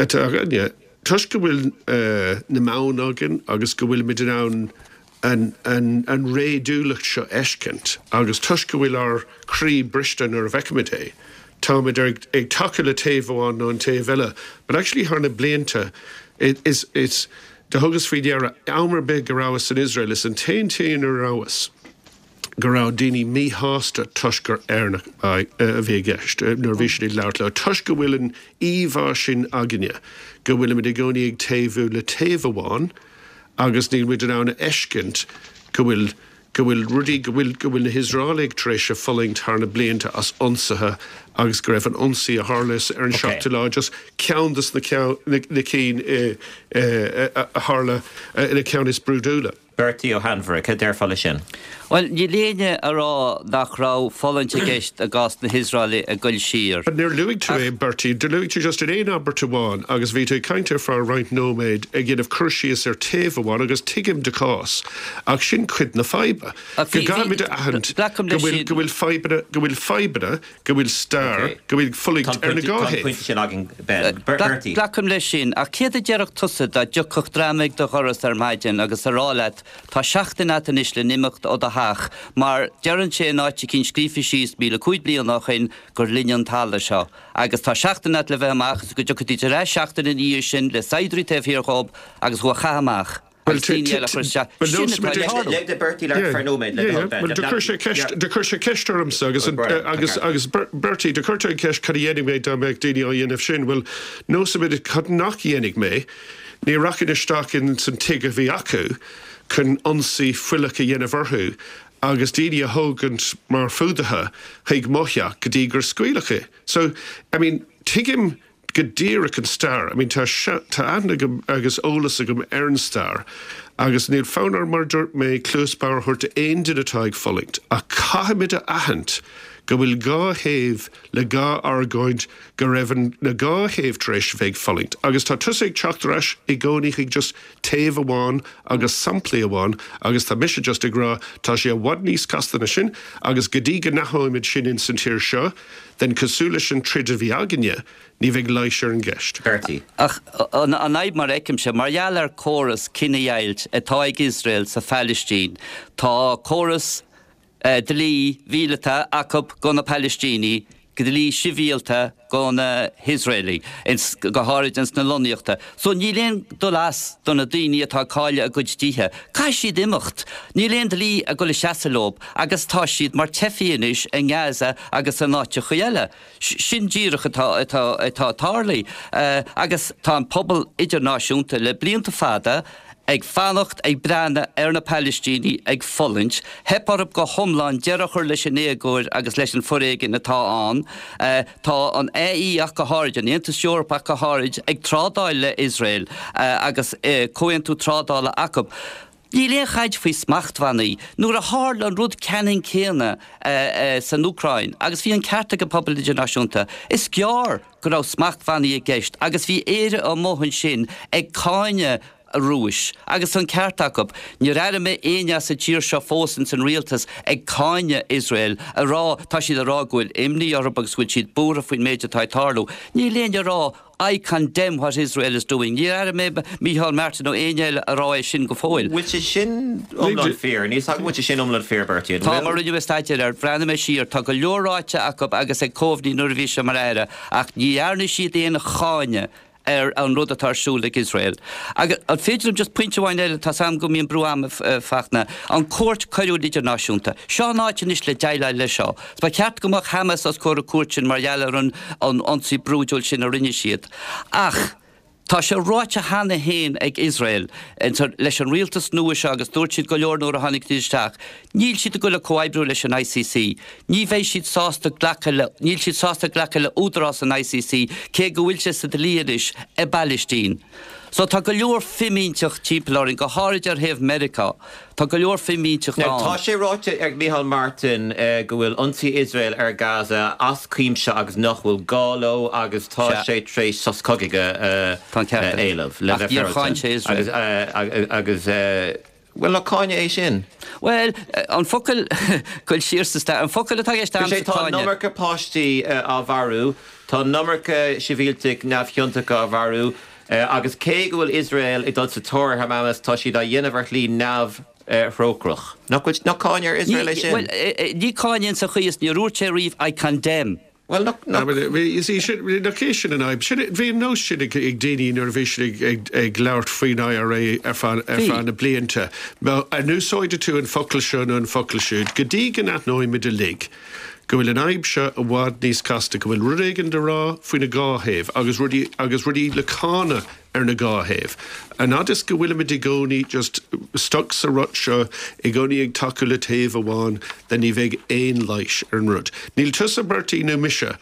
atá againne, toisc go bhfuil uh, na meáin againn agus go bhfuilimid in ann an, an, an réadúlacht seo a fheiscint agus toisc go bhfuil ár croí briste nuair a fheicimid é. Táimid ag, ag tacú le taobh amháin nó an taobh eile, but actually thar na blianta it, is, it's, do thugas faoi deara am ar bith go rabhas in Israel is an t-aon tír a rabhas go raibh daoine míshásta toisc gur Éireannach a bhí i gceist nuair a bhí siad ag labhairt leo. Toisc go bhfuil an íomhá sin againne, go bhfuilimid i gcónaí ag taobhú le taobh amháin agus níl muid in ann a fheiscint go bhfuil go bhfuil rudaí go bhfuil go bhfuil na hIosraelaigh tar éis a fulaingt thar na blianta as ionsaithe agus go raibh an ionsaí a tharla ar an seachtú lá just ceann des na na cinn a tharla ina ceann is brúidiúla. Bertie Ó hAinmhire, cad déarfá leis sin? Bhuel, níl éinne a rá nach raibh fulaingt i gceist i gcás na hIosraelaigh ag goil siar. But níor luaigh tú é, Bertie, do luaigh tú just in aon abairt amháin agus bhí tú ag caint ar feadh roinnt nóiméad ag dhéanamh cur síos ar taobh amháin agus tuigim do chás ach sin cuid na faidhbe. Go gcaithfimid a aithint go bhfuil go bhfuil fadhbanna go bhfuil fadhbanna, go bhfuil stair, go bhfuil fulaingt ar na dhá thaobh. Tá an pointe sin againn, Ben. Bertie. Glacaim leis sin, ach céard a déarfadh tusa dá dtiocfadh dream ag do dhoras ar maidin agus a rá leat Tá seachtain a't anois le n-imeacht ó do theach mar deireann sé in áit eicínt scríofa síos míle cúig bliana ó shoin gur linne an talamh seo agus tá seachtain a't le bheith amach agus go dtiocfaidís ar ais seachtain ina dhiaidh sin le saighdiúirí taobh thiar dhób agus thú a chaitheamh amach agus daoine eile a chur isteach. Sin atá ag tarlú. Lig do Bertie labhairt ar feadh nóiméad le do thoil Ben. Bhuel do chuir sé ceist do chuir sé ceist ormsa agus agus agus Bertie do chuir tú an ceist cad a dhéanfaidh mé dá mbeadh daoine á dhéanamh sin. Bhuel nósaimid cad nach dhéanfaidh mé. Ní rachainn isteach in san tigh a bhí acu chun ionsaí fuilleach a dhéanamh orthu agus daoine a thógaint mar fuadaithe chuig mo theach go dtí gur scaoileadh é. So, I mean, tuigim go díreach an stair. I mean, tá tá aithne agam agus eolas agam ar an stair agus níl fonn orm, mar a dúirt mé, cluas bhodhar a thabhairt d'aon duine atá ag fulaingt ach caithfimid a aithint go bhfuil dhá thaobh le dhá argóint, go raibh an na dhá thaobh tar éis a bheith ag fulaingt. Agus tá tusa ag teacht ar ais i gcónaí chuig just taobh amháin agus samplaí amháin agus tá mise just ag rá tá sé i bhfad níos casta ná sin agus go dtí go n-aithneoimid sin in san tír seo, then cosúil leis an troid a bhí againne, ní bheidh leigheas ar an gceist. Bertie. Ach an fhadhb mar a fheicimse, mar gheall ar córas cinedheighilt atá ag Iosrael sa Phalaistín, tá córas, dlí mhíleata acu go na Palaistínigh, dlí sibhialta go na hIosraelaigh, go háirid ins na lonnaíochta. So níl aon dul as do na daoine atá ag cailleadh a gcuid tithe. Caithfidh siad imeacht. Níl aon dlí ag dul a seasamh leo agus tá siad mar teifigh anois i nGaza agus in áiteachaí eile. Sin díreach atá atá atá tarlaithe. Agus tá an pobal idirnáisiúnta le blianta fada ag fanacht ag breathnú ar na Palaistínigh ag fulaingt. Theip orthu go hiomlán deireadh a chur leis an éagóir agus leis an foréigean atá ann. Tá an AE ach go háirid, an Aontas Eorpach go háirid, ag trádáil le Iosrael agus comhaontú trádála acu. Níl aon chaint faoi smachtbhannaí. Nuair a tharla an rud ceannann céanna san Úcráin, agus bhí an ceart ag an pobal idirnáisiúnta, is gearr go raibh smachtbhannaí i gceist agus bhí Éire amuigh ansin ag cáineadh an Rúis, agus an ceart acu. Níor airigh mé éinne as an tír seo fós ins an rialtas ag cáineadh Iosrael, a rá, tá siad a rá go bhfuil imní orthu agus go bhfuil siad buartha faoin méid atá ag tarlú. Níl éinne a rá I condemn what Israel is doing. Níor airigh mé Micheál Martin nó éinne eile a rá é sin go fóill. Bhfuil sé sin iomlán fíor? Níl 's agam bhfuil sé sin iomlán fíor, Bertie, an Tá, bhfuil? mar rinne mé staidéar air, bhreathnaigh mé siar, tá go leor ráite acu agus ag Coveney nuair a bhí sé mar aire, ach ní dhearna siad aon cháineadh ar an rud atá ar siúl ag Iosrael. Agus an féidir liom just pointe amháin eile, tá 's agam go mbíonn brú ama, a Fachtna, an Cúirt Coiriúil Idirnáisiúnta. Seo an áit anois le déileáil leis seo. Ba cheart go mbeadh Hamas os comhair an cúirt sin mar gheall ar an an ionsaí brúidiúil sin a rinne siad. Ach tá sé ráite cheana féin ag Iosrael leis an rialtas nua seo agus dúirt siad go leor nuair a tháinig siad isteach, Níl siad ag dul a comhoibriú leis an ICC. Ní bheidh siad sásta glacadh le, níl siad sásta glacadh le údarás an ICC, cé go bhfuil sé sa dlí anois i bPailistín. So tá go leor fimínteacht timpeall orainn, go háirid ar thaobh Meiriceá. Tá go leor fimínteacht Now tá ann. sé ráite ag Micheál Martin go bhfuil ionsaí Iosrael ar Gaza as cuimse agus nach bhfuil gá leo agus tá Sea. sé tar éis sos cogaidh a Tá an ceart aige. éileamh le Ach bheith níor cháin féaráilte sé agus Iosrael. agus Bhuel, nach cáineadh é sin? Bhuel, an focal, goil siar sa stair, an focal atá i gceist Sé, a'msa tá an cáineadh. iomarca páistí á mharú, tá an iomarca sibhialtaigh neamhchiontacha á mharú, agus cé go bhfuil Iosrael ag dul sa tóir ar Hamas, tá siad á dhéanamh ar shlí neamh, thrócaireach. Nach bhfuil nach cáineadh ar Iosrael é sin? Bhuel, ní cáineadh sa chaoi is níor dhúirt sé riamh I condemn. Bhuel, nach, nach. You see, sin, nach é sin an fhadhb. Sin, bhí an nós sin ag, ag daoine nuair a bhí siad ag, ag, ag labhairt faoin IRA ar feadh, ar feadh na blianta. Má an úsáideann tú an focal seo nó an focal siúd, go dtí go n-aithneoimid uilig go bhfuil an fhadhb seo i bhfad níos casta, go bhfuil rud éigin le rá faoina dhá thaobh agus rudaí, agus rudaí le cáineadh ar na dhá thaobh. An fhad is go bhfuilimid i gcónaí just stuck sa rut seo, i gcónaí ag tacú le taobh amháin, then ní bheidh aon leigheas ar an rud. Níl tusa Bertie nó mise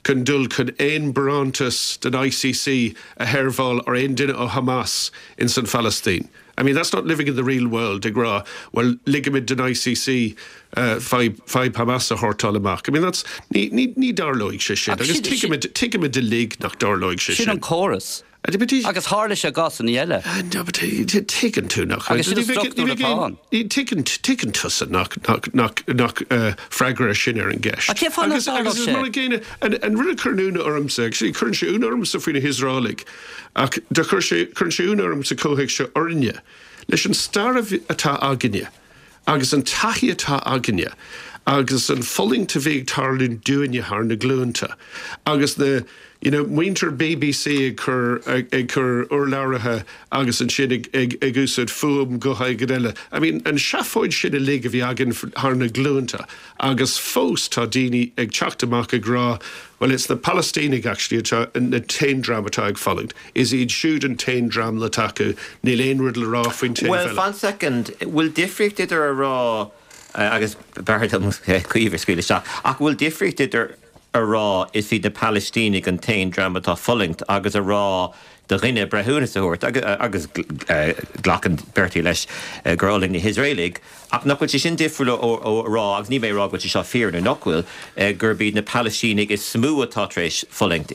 chun dul chun aon barántas den ICC a sheirbheáil ar aon duine ó Hamas in san Phalaistín. I mean, that's not living in the real world, ag rá, well, ligimid den ICC uh, fadhb fadhb Hamas a shórtáil amach. I mean, that's, ní, ní, ní dtarlóidh sé sin. Ach Agus sin- tuigimid tuigimid uilig nach dtarlóidh sé Sin sin. an córas. Agus Agus tharla sé i gcásanna eile. No, but tuigeann tú nach. Agus sin an struchtúr atá ann. Tuigeann tuigeann tusa nach nach nach nach uh, freagra sin ar an gceist. Ach cén fáth nach Agus agus dtarlódh is sé? mar a gcéanna an an rud a chuireann ionadh ormsa, actually cuireann sé ionadh ormsa faoi na hIosraelaigh, ach do chuir sé cuireann sé ionadh ormsa comhthéacs seo orainne, leis an stair a bhí- atá againne, agus an taithí atá againne, agus an fulaingt a bhí ag tarlú dúinne thar na glúnta, agus na you know, muintir BBC ag cur ag, ag cur urlabhraithe agus ansin ag, ag, ag úsáid fuaim go go eile. I mean, an seafóid sin uilig a bhí againn thar na glúnta, agus fós tá daoine ag teacht amach ag rá, well it's the Palestínigh actually atá na t-aon dream atá ag fulaingt. Is iad siúd an t-aon dream le tacú, níl aon rud le rá faoin taobh Well, eile. fan second, bhfuil difríocht idir a rá uh, agus b'fhearr dom Caoimhe a scaoileadh isteach, ach bhfuil difríocht idir a rá is iad na Palaistínigh an t-aon dream atá fulaingt agus a rá do dhuine breithiúnas a thabhairt agus, agus uh, glacann Bertie leis uh, gur fhulaing na hIosraelaigh, ach nach bhfuil sé sin difriúil ó, ó rá agus ní mé rá go bhfuil sé seo fíor nó nach bhfuil uh, gurb iad na Palaistínigh is mó atá tar éis fulaingt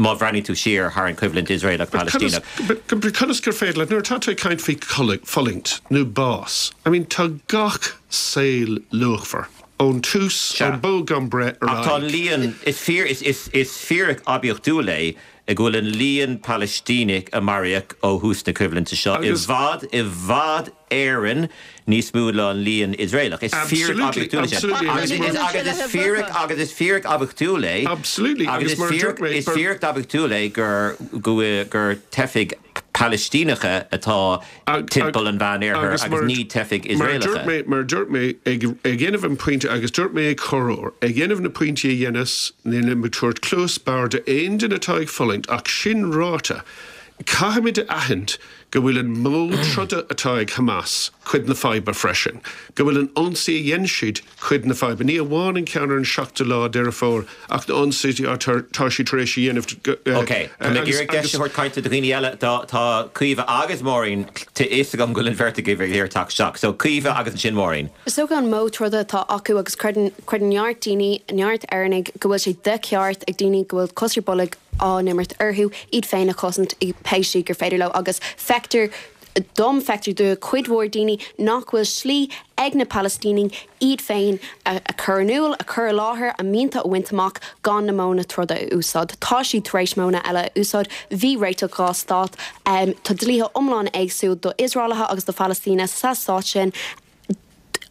má bhreathnaíonn tú siar thar an choimhlint Iosraelach Palaistineach. Conas gur féidir leat nuair atá tú ag caint faoi fulaingt nó bás. I mean tá gach saol luachmhar. Ón tús Sea. ón bó gan breith ar Ach tá aghaidh. líon is fíor is, is, is fíoric oibiachtúil é go bhfuil an líon Palestínach a maraíodh ó thús na coimhlinte seo i Agus- bhfad i bhfad Éireann níos mó ná an líon Iosraelach. Is fíoric Absolutely, oibiachtúil é sin. absolutely. Agus is- agus is fíoric agus is fíoric oibiachtúil é. Absolutely, Agus agus is mar a fíoric dúirt mé, is ber- fíoric oibiachtúil é gur gur gur teifigh Palestíneacha atá Ag- timpeall an Mheánoirthir agus mar- ní teifigh Mar a dúirt Iosraelacha. mé mar a dúirt mé ag ag dhéanamh an pointe agus dúirt mé ag corr ag dhéanamh na pointí a dhéanas níl mé tabhairt cluas bhodhar d'aon duine atá ag fulaingt ach sin ráite. Caithfimid a aithint go bhfuil an modh troda atá ag Hamas cuid na faidhbe freisin, go bhfuil an ionsaí a dhein siad cuid na faidhbe. Ní amháin an ceann ar an seachtú lá Deireadh Fómhair ach na ionsaí tá sí tar éis a dhéanamh. Ok, Tá mé ag iarraidh deis a thabhairt cainte do dhaoine eile tá tá Caoimhe agus Máirín tá fhios agam go bhfuil an bheirt agaibh ag iarraidh teacht isteach. So Caoimhe agus ansin Máirín. Is dócha an modh troda atá acu agus creideann creideann neart daoine neart Éireannaigh go bhfuil sé de cheart ag daoine go bhfuil cos ar bolg á n-imirt orthu iad féin a chosaint i pé slí gur féidir leo agus feictear dom feictear do chuid mhór daoine nach bhfuil slí ag na Palestínigh iad féin a, a chur in iúl, a chur i láthair a mianta a bhaint amach gan na modhanna troda a úsáid. Tá siad tar éis modhanna eile a úsáid, bhí réiteach dhá stát, um, tá dlíthe iomlán éagsúil do Iosraelaithe agus do Phalaistíne sa stát sin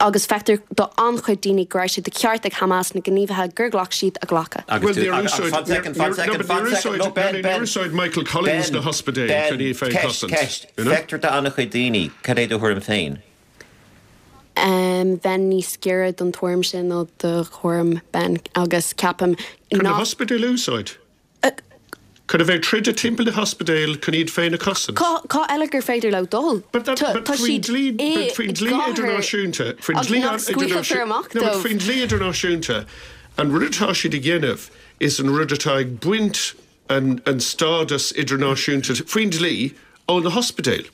agus feictear do an-chuid daoine go raibh sé de cheart ag Hamas na gníomhartha gur ghlac siad a ghlacadh. Agus Well, tú- níor agus- úsáid- fan second, fan níor- second, no, but fan níor second, no, úsáid- Ben, no, níor Ben. úsáid Michael Collins Ben, na hospidéil Ben, chun iad féin ceist, chosaint, ceist, you know? Feictear do an-chuid daoine, cad é do thuairim féin. Um, bheinn níos giorra don tuairim sin nó do thuairim Ben agus ceapaim Chun na nach- hospidéil a úsáid. Chun a bheith troid timpeall na hospidéil chun iad féin a chosaint. Cá cá eile gur féidir leo dul? But that, Tá but tá faoin siad dlí i but faoin dlí gcathair idirnáisiúnta faoin agus dlí nach scaoilfear amach No, but dóibh. faoin dlí idirnáisiúnta an rud atá siad ag dhéanamh is an rud atá ag baint an, an stádas idirnáisiúnta faoin dlí ó na hospidéil.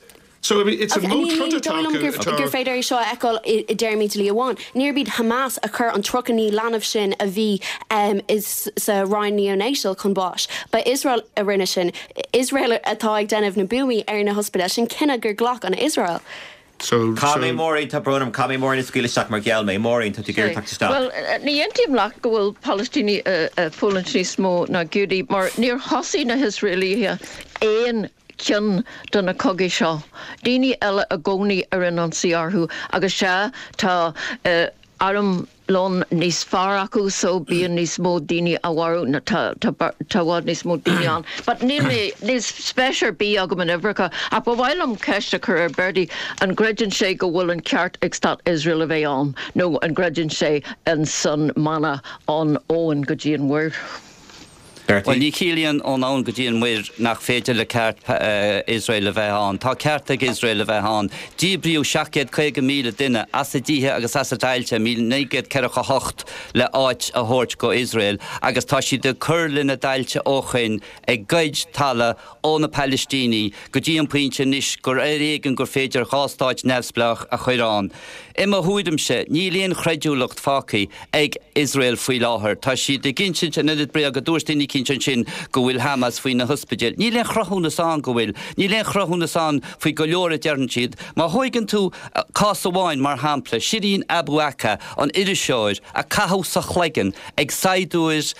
So I mean, it's a modh troda atá acu gur atá- féidir é seo a fheiceáil i i dtéarmaí dlí amháin. Níorbh iad Hamas a chur an tríocha naoi leanbh sin a bhí um, is sa roinn neonatal chun báis. Ba Israel a rinne sin. Israel atá ag déanamh na buamaí ar na hospidéil sin cinneadh gur ghlac an Israel. So, Cá mé so Máirín tá brón orm cá mé Máirín a scaoileadh isteach mar gheall mé Máirín tá tú ag iarraidh teacht isteach. Well, eh, ní aontaím leat go bhfuil Palaistínigh fulaingt níos mó ná Giúdaigh, mar níor thosaigh na hIosraelaithe aon ceann de na cogaí seo. Daoine eile i gcónaí a rinne ionsaí orthu agus sea tá uh, armlón níos fearr acu so bíonn níos mó daoine á mharú na tá bhfad níos mó daoine ann. But níl mé níl spéis ar bith agam in uimhreacha ach ba mhaith liom ceist a chur ar Bertie an gcreideann sé go bhfuil an ceart ag stát Israel a bheith ann nó an gcreideann sé in san mana ón abhainn go dtí an mhuir. Well ní chiallaíonn ón abhainn go dtí an mhuir nach féidir le ceart uh, Israel a bheith ann. Tá ceart ag Israel a bheith ann. Díbríodh seacht gcéad caoga míle duine as a dtithe agus as a dtailte míle naoi gcéad ceathracha hocht le áit a thabhairt go Israel, agus tá siad ag cur lena dtailte ó shin ag goid talamh ó na Palaistínigh go dtí an pointe anois gur ar éigean gur féidir dhá stát neamhspleách a chur ann. I mo thuairimse níl aon chreidiúlacht fágtha ag Israel faoi láthair. Tá siad ag insint an oiread bréaga dúirt duine eicínt ansin go bhfuil Hamas faoi na hospidéil. Níl aon chruthúnas ann go bhfuil, Níl aon chruthúnas ann faoi go leor a deireann siad, Má thógann tú cás amháin mar shampla, Shireen Abu Akleh an iriseoir a caitheadh sa chloigeann ag saighdiúir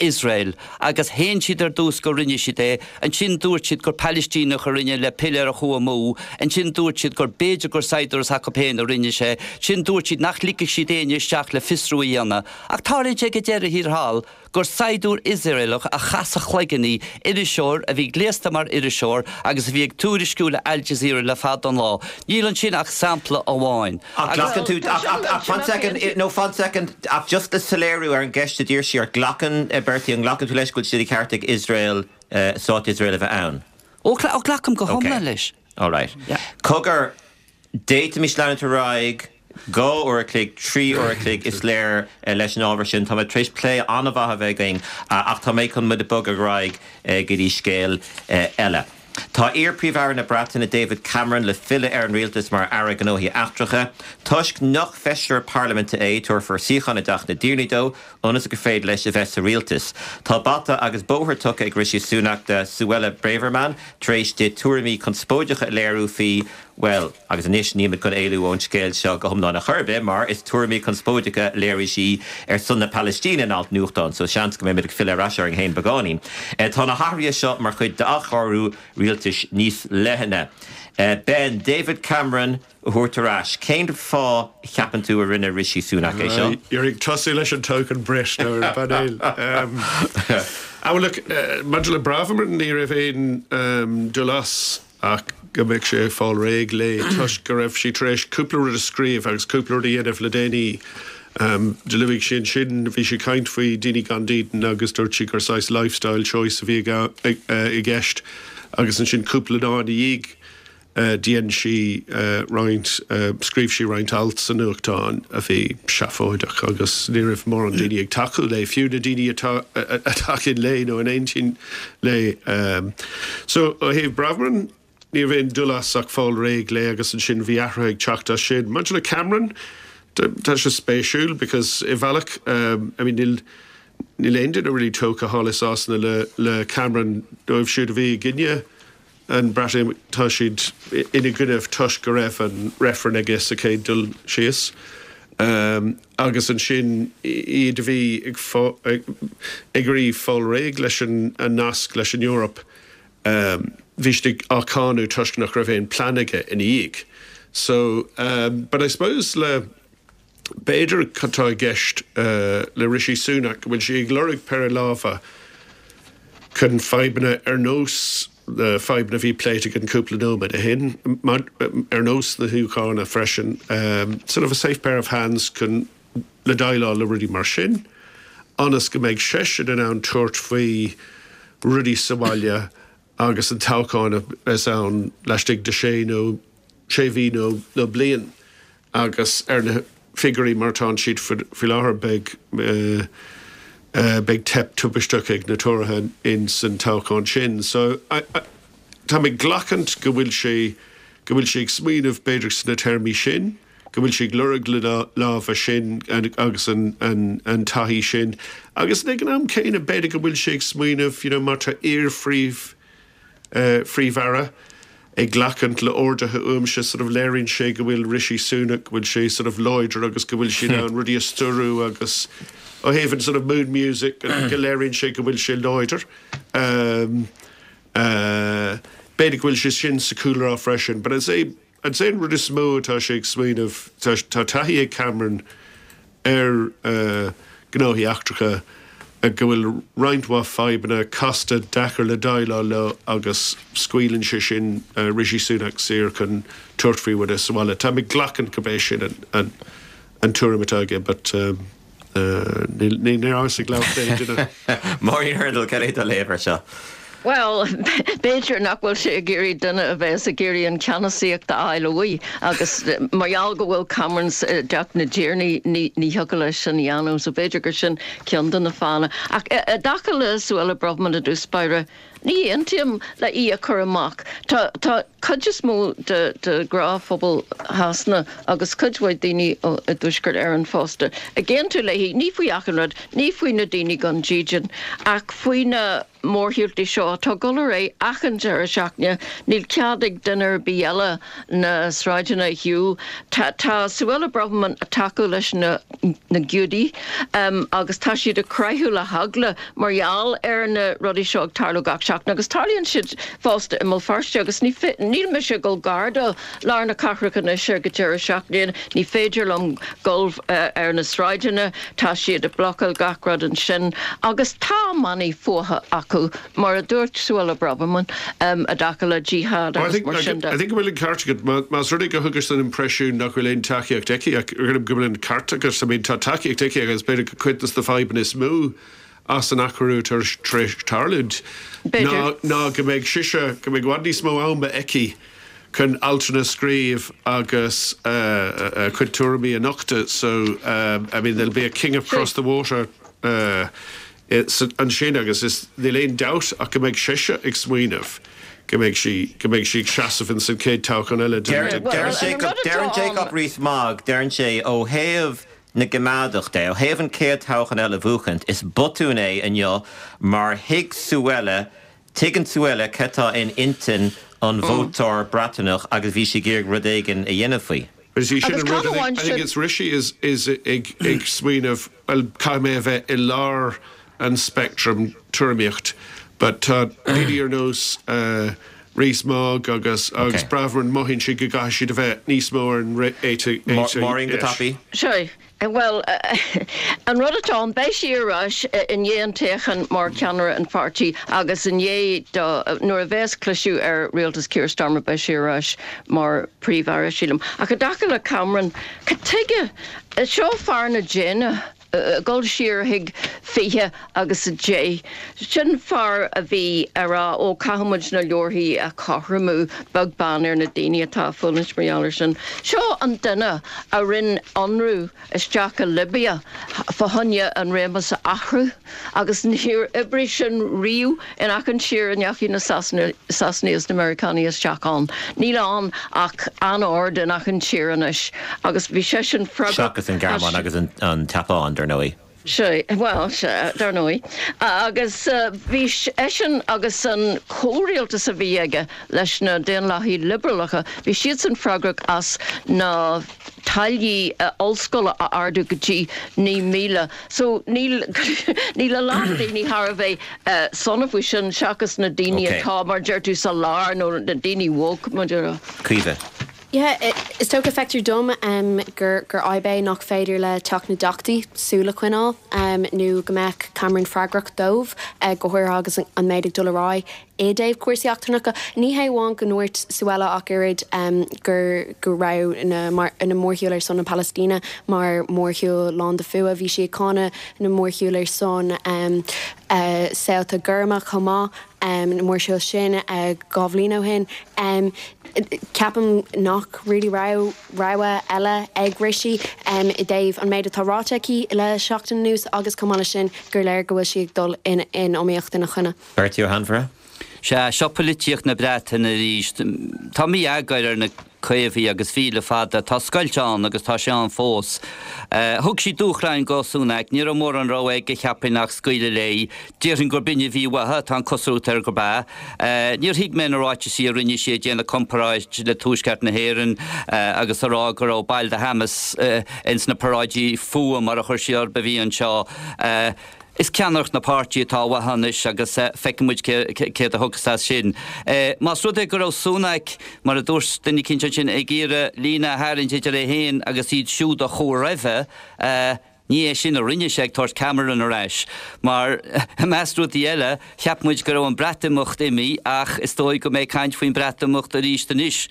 Israel agus shéan siad ar dtús go rinne siad é, ansin dúirt siad gur Palaistíneach a rinne le piléar a chuaigh amú, ansin dúirt siad gur b'fhéidir gur saighdiúir s'acu féin a rinne sé, ansin dúirt siad nach ligfeadh siad éinne isteach le fiosrú a dhéanamh. Ach tarlaíonn sé go deireadh thiar thall gur saighdiúir Iosraelach a chaith sa chloigeann í, iriseoir a bhí gléasta mar iriseoir agus a bhí ag tuairisciú le Al Jazeera le fada an lá. Níl ansin ach sampla amháin. Ach glacann tú ach ach ach fan second no fan second ach just le soiléiriú ar an gceist a d'iarr sí ort glacann Bertie an nglacann tú leis go bhfuil sé de cheart ag Israel stát Israel a bheith ann. Ó ó glacaim go hiomlán leis. All right. Cogar d'fhéadfaimis leanúint ar aghaidh dhá uair a chloig, trí uair a chloig is léir leis an ábhar sin. Tá mé tar éis plé an-mhaith a bheith againn ach tá mé chun muid a bhogadh ar aghaidh go dtí scéal eile. Tá iar-Phríomh-Aire na Breataine David Cameron le filleadh ar an rialtas mar Aire Gnóthaí Eachtracha. Toisc nach feisire parlaiminte é tabharfar suíochán i dTeach na dTiarnaí dó ionas gur féidir leis a bheith sa rialtas. Tá bata agus bóthar tugtha ag Rishi Sunak do Suella Braverman tar éis di tuairimí conspóideacha a léiriú faoi Well, agus anois nílimid chun éalú ón scéal seo go hiomlán ar chor ar bith, mar is tuairimí conspóideacha a léirigh sí ar son na Palaistíne in alt nuachtáin, so seans go mbeimid ag filleadh ar ais orainn féin beagáinín. Tá na hathruithe seo mar chuid d'athchóiriú rialtais níos leithne. Ben, David Cameron a thabhairt ar ais. Cén fáth a cheapann tú a rinne Rishi Sunak é seo? You're ag tosú leis an token Brit nó ar an bpainéal. Ah, well, look, maidir le Braverman ní raibh aon dul as ach go mbeadh sé ag fáil réidh léi toisc go raibh sí tar éis cúpla rud a scríobh agus cúpla rud a dhéanamh le déanaí. Um, do luaigh sí ansin bhí sí ag caint faoi daoine gan dídean agus dúirt sí gur saghas lifestyle choice a bhí i gceist agus ansin cúpla lá ina dhiaidh dhein sí roinnt, scríobh sí roinnt alt sa nuachtán a bhí seafóideach agus ní raibh mórán daoine ag tacú léi, fiú na daoine atá a thacaíonn léi nó in aontín léi. So ó thaobh Braverman, ní raibh aon dul as ach fáil réidh léi agus ansin bhí athruithe ag teacht as sin. Maidir le Cameron, tá sé spéisiúil because i bhealach I mean níl níl aon duine really tógtha thall i Sasana le le Cameron dóibh siúd a bhí i gcoinne an Breatimeacht tá siad ina gcoinne toisc go raibh an reifreann aige sa chéad dul síos. Um, agus ansin iad a bhí ag ag iarraidh fáil réidh leis an, an nasc leis an Eoraip. Um, bhí siad á cháineadh toisc nach raibh aon plean aige ina dhiaidh. So, um, but I suppose le b'fhéidir atá i gceist uh, le Rishi Sunak go bhfuil sé ag lorg péire lámha chun fadhbanna ar nós na fadhbanna a bhí pléite an cúpla nóiméad ó shin ar nós na hÚcráine freisin um, sort of a safe pair of hands chun le déileáil le rudaí mar sin, ionas go mbeidh seisean in ann tabhairt faoi rudaí sa bhaile agus an toghchán is ann laistigh de sé nó sé mhí nó nó bliain agus ar na figiúirí mar tá siad faoi láthair beidh uh, uh, beidh teip tubaisteach ag na Tóraithe in san toghchán sin. So tá mé ag glacaint go bhfuil sé go bhfuil sé ag smaoineamh b'fhéidir sna téarmaí sin, go bhfuil sé ag lorg le lámha sin agus an, an, an taithí sin. Agus ag an am céanna b'fhéidir go bhfuil sé ag smaoineamh you know, mar tá iar-phríomh uh, phríomh-aire ag glacaint le orduithe uaimse sort of léiríonn sé go bhfuil Rishi Sunak go bhfuil sé sort of láidir agus go bhfuil sé an rudaí a stiúradh agus ó thaobh an sort of mood music go léiríonn sé go bhfuil sé láidir. Um, uh, B'fhéidir go bhfuil sé sin sa chúlra freisin, but I'd say I'd say an rud is mó atá sé ag smaoineamh tá taithí ag Cameron ar uh, gnóthaí eachtracha go bhfuil roinnt mhaith fadhbanna casta deacair le déileáil leo agus scaoileann sé sin uh, Rishi Sunak saor chun tabhairt faoi rud sa bhaile. Tá mé glacann go bé sin an, an, an tuairim atá aige, but um, uh, ní ní ag le Máirín Hurndall cad é do léamh air seo. Well, b'fhéidir nach bhfuil sé ag iarraidh duine a bheith ag iarraidh an ceannasaíocht a fháil uaidh agus mar gheall go bhfuil Cameron i dTeach na dTiarnaí ní thiocfadh leis sin a dhéanamh, so b'fhéidir gur sin ceann de na fáthanna. Ach i dtaca le Suella Braverman i dtús báire, ní aontaím le í a chur amach. Tá tá cuid is mó de de ghnáthphobal Shasana agus cuid mhaith daoine i dTuaisceart Éireann fosta. Ag aontú léi ní faoi achan rud, ní faoi na daoine gan dídean ach faoi na mórshiúltaí seo tá ag dul ar aghaidh achan deireadh seachtaine, níl cead ag duine ar bith eile na sráideanna a shiúl. Tá tá Suella Braverman ag tacú leis na na Giúdaigh um, agus tá siad ag croitheadh le heagla mar gheall ar na rudaí seo ag tarlú gach seachtain agus tarlaíonn siad fosta i mBéal Feirste agus ní níl mise ag dul gar do lár na cathrach anois ar go deireadh seachtaine, ní féidir liom dul uh, ar na sráideanna, tá siad ag blocáil gach rud ansin agus tá manaí fuatha acu mar a dúirt Suella Braverman um, i dtaca le jihad I think, I think go bhfuil an ceart agat más rud é go thugas an impressiún nach bhfuil aon tacaíocht aici go bhfuil an ceart agat I mean tá tacaíocht aici agus b'fhéidir go cuid de na fadhbanna is mó as an athchóiriú tar éis tarlúint ná go mbeidh sise go mbeidh i bhfad níos mó ama aici chun altanna a scríobh agus uh, uh, cuid tuairimí a nochtadh so um, I mean there'll be a king across the water uh, ansin agus is níl aon dabht ach go mbeidh sise ag smaoineamh go mbeidh sí go mbeidh sí seasamh in san céad toghchán eile Deireann Jacob Rees-Mogg deireann sé ó thaobh na gcoimeádach de ó thaobh an chéad toghchán eile a bhuachaint is botún é inniu mar thuig Suella tuigeann Suella cad atá in intinn an vótóir Breatnach agus bhí sí ag iarraidh rud éigin a dhéanamh faoi. Is sin an rud I think it's Rishi is is ag ag smaoineamh well caithfidh mé a bheith i lár an spectrum tuairimíocht, but uh, daoine ar nós uh, Rees-Mogg agus agus okay. Braverman mothaíonn siad go gcaithfidh siad a bheith níos mó ar an Maureen go tapaidh? Sure. Well, uh, an rud atá ann beidh sí ar ais i ndiaidh an toghcháin mar cheannaire an pháirtí agus i ndiaidh nuair a bheas cliseadh ar rialtas Keir Starmer beidh sí ar ais mar phríomh-aire sílim. Ach i dtaca le Cameron, cad chuige seo fear na déine dul siar chuig fiche agus a deich. Sin fear a bhí ag rá ó caithfimid na leorthaí a chothromú beag beann ar na daoine atá fulaingt mar gheall sin. Seo an duine a rinne ionradh isteach i Libia fá choinne an réimeas a athrú agus níor oibrigh sin riamh in achan tír a ndeachaigh na Sasanaigh na Meiriceánaigh isteach ann. Níl ann ach anord in achan tír anois agus bhí sé sin Seachas an Ghearmáin agus an tSeapáin dar ndóigh. Sé well dar ndóigh agus uh, bhí eisean agus an comhrialtas a bhí aige leis na Daonlathaigh Liobrálacha, bhí siad san freagrach as na táillí uh, ollscoile a ardú go dtí naoi míle. So níl níl a lán daoine thar a bheith uh, sona faoi sin seachas na daoine atá mar deir tú sa lár nó na daoine woke mar deir. Caoimhe. Yeah, is dócha feictear dom um, gur gur fadhb é nach féidir le Teach na dTeachtaí súil a choinneáil um, nó go mbeadh Cameron freagrach dóibh uh, go háirithe agus an méid ag dul ar aghaidh i dtaobh cúrsaí eachtrannacha. Ní hé amháin go ndúirt Suella ach oiread um, gur go raibh na, mar, na mórshiúil ar son na Palaistíne mar mórshiúil lán de fuath bhí sí ag cáineadh na mórshiúil ar son um, uh, saolta gorma chomh maith um, na mórshiúil sin uh, dhá bhliain ó shin. Um, Ceapaim nach really raibh rogha eile ag Rishi um, i dtaobh an méid atá ráite aici le seachtain anuas agus chomh maith sin gur léir go bhfuil sí ag dul in, in iomaíocht ina choinne. Bertie Ó hAinmhire? Sea seo polaitíocht na Breataine arís Tá mí-eagar ar na Caomhaigh agus bhí le fada tá scoilt ann agus tá sé ann fós. Uh, thug sí dúshlán do Sunak, ní raibh mórán rogha aige cheapfainn ach scaoileadh léi, Déarfainn gurb in a bhí uaithi tá an chosúlacht air gurb ea. Uh, Níor thuig mé na ráitis a rinne sí ag déanamh comparáid le Tuaisceart na hÉireann uh, agus a rá go raibh baill de Hamas uh, ins na paráidí fuatha mar a chuir sí orthu a bhí anseo. Uh, Is ceannaireacht na páirtí atá uathu anois agus feicfidh muid céard a thiocfas as sin. Más rud é go raibh Sunak, mar a dúirt duine eicínt ansin, ag iarraidh líne a tharraingt idir é féin agus iad siúd a chuaigh roimhe, ní é sin a rinne sé ag tabhairt Cameron ar ais. Mar, i measc rudaí eile, cheap muid go raibh an Breatimeacht imithe ach is dóigh go mbeidh caint faoin Breatimeacht arís anois.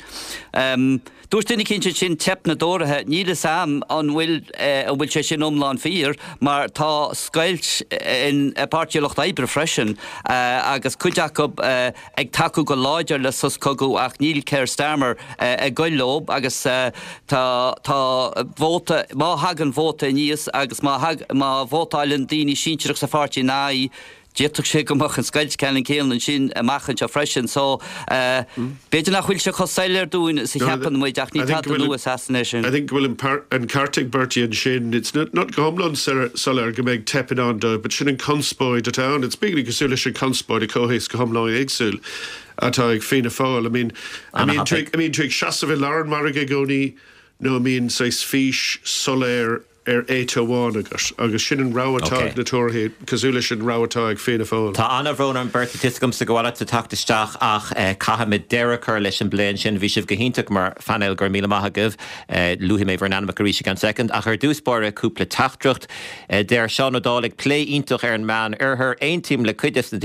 Dúirt duine eicínt ansin teip na dTóraithe, níl fhios a'm an bhfuil an bhfuil sé sin iomlán fíor mar tá scoilt in Páirtí an Lucht Oibre freisin agus cuid acu ag tacú go láidir le sos cogaidh ach níl Keir Starmer ag goil leo agus tá tá vóta má thagann vóta aníos agus má má vótáileann daoine sinsearach sa pháirtí ina aghaidh D'fhéadfadh sé go mbeadh an scoilt ceannann céanna ansin amach anseo freisin so b'fhéidir nach bhfuil sé chomh soiléir dúinn is a cheapann muid ach ní tada nua i Sasana é sin. I think go bhfuil an ceart ag Bertie ansin. It's not not go hiomlán soiléir go mbeidh teip i ndán dóibh but sin an conspóid atá ann. It's beagnach cosúil leis an conspóid i comhthéacs go hiomlán éagsúil atá ag Fianna Fáil. I mean, I mean, I mean, tú ag seasamh i lár an mhargaidh i gcónaí nó an mbíonn saghas fís soiléir ar áit amháin agat agus sin an rogha atá ag na Tóraithe, cosúil leis an rogha atá ag Fianna Fáil. Tá an-bhrón orm Bertie, tá 'fhios agamsa go bhfuil ort teacht isteach ach caithfimid deireadh a chur leis an bplé ansin. Bhí sibh go hiontach mar phainéal, go raibh míle maith agaibh. Luafaidh mé bhur n-ainmneacha arís i gceann soicind ach ar dtús báire cúpla teachtaireacht. Deir Seán Ó Dálaigh, plé iontach ar an Meán Oirthear. Aontaím le cuid des na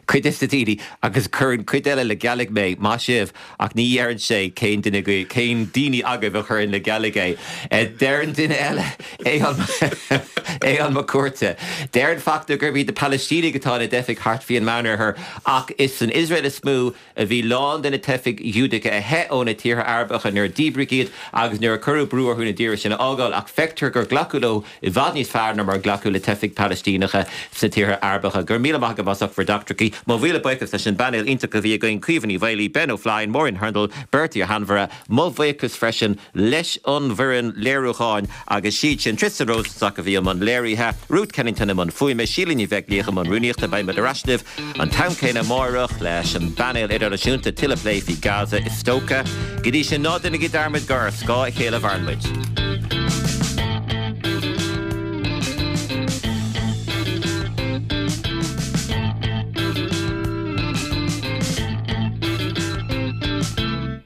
cuid des na daoine agus cuireann cuid eile le gealaigh mé. Maith sibh! Ach ní dheireann sé cén duine cén daoine agaibh a chuireann le gealaigh é. Deireann duine eile, Aodhán Mac Cuarta, Deireann Fachtna gurb iad na Palaistínigh atá ina dteifigh thart faoi an Meánoirthear ach is san Iosrael is mó a bhí lán de na teifigh Ghiúdacha a theith ó na tíortha Arabacha nuair a díbríodh iad agus nuair a cuireadh brú orthu na dtíortha sin a fhágáil ach feictear gur glacadh leo i bhfad níos fearr ná mar a glacadh le teifigh Phalaistíneacha sna tíortha Arabacha. Go raibh míle maith agaibh as ucht bhur dteachtaireachtaí. Mo mhíle buíochas leis an bpainéal iontach a bhí againn, Caoimhe Ní Mhaolaí, Ben Ó Floinn, Máirín Hurndall, Bertie Ó hAinmhire. Mo bhuíochas freisin leis an bhfoireann léiriúcháin agus siad sin, Tristan Rosenstock a bhí i mbun léirithe, Ruth Kennington i mbun fuaime, Síle Ní Bheaglaoich i mbun rúnaíochta. Beidh muid ar ais libh an t-am céanna amáireach leis an bpainéal idirnáisiúnta, tuilleadh plé faoi Gaza is dócha. Go dtí sin, ná déanaigí dearmad gur ar scáth a chéile a mhaireann muid.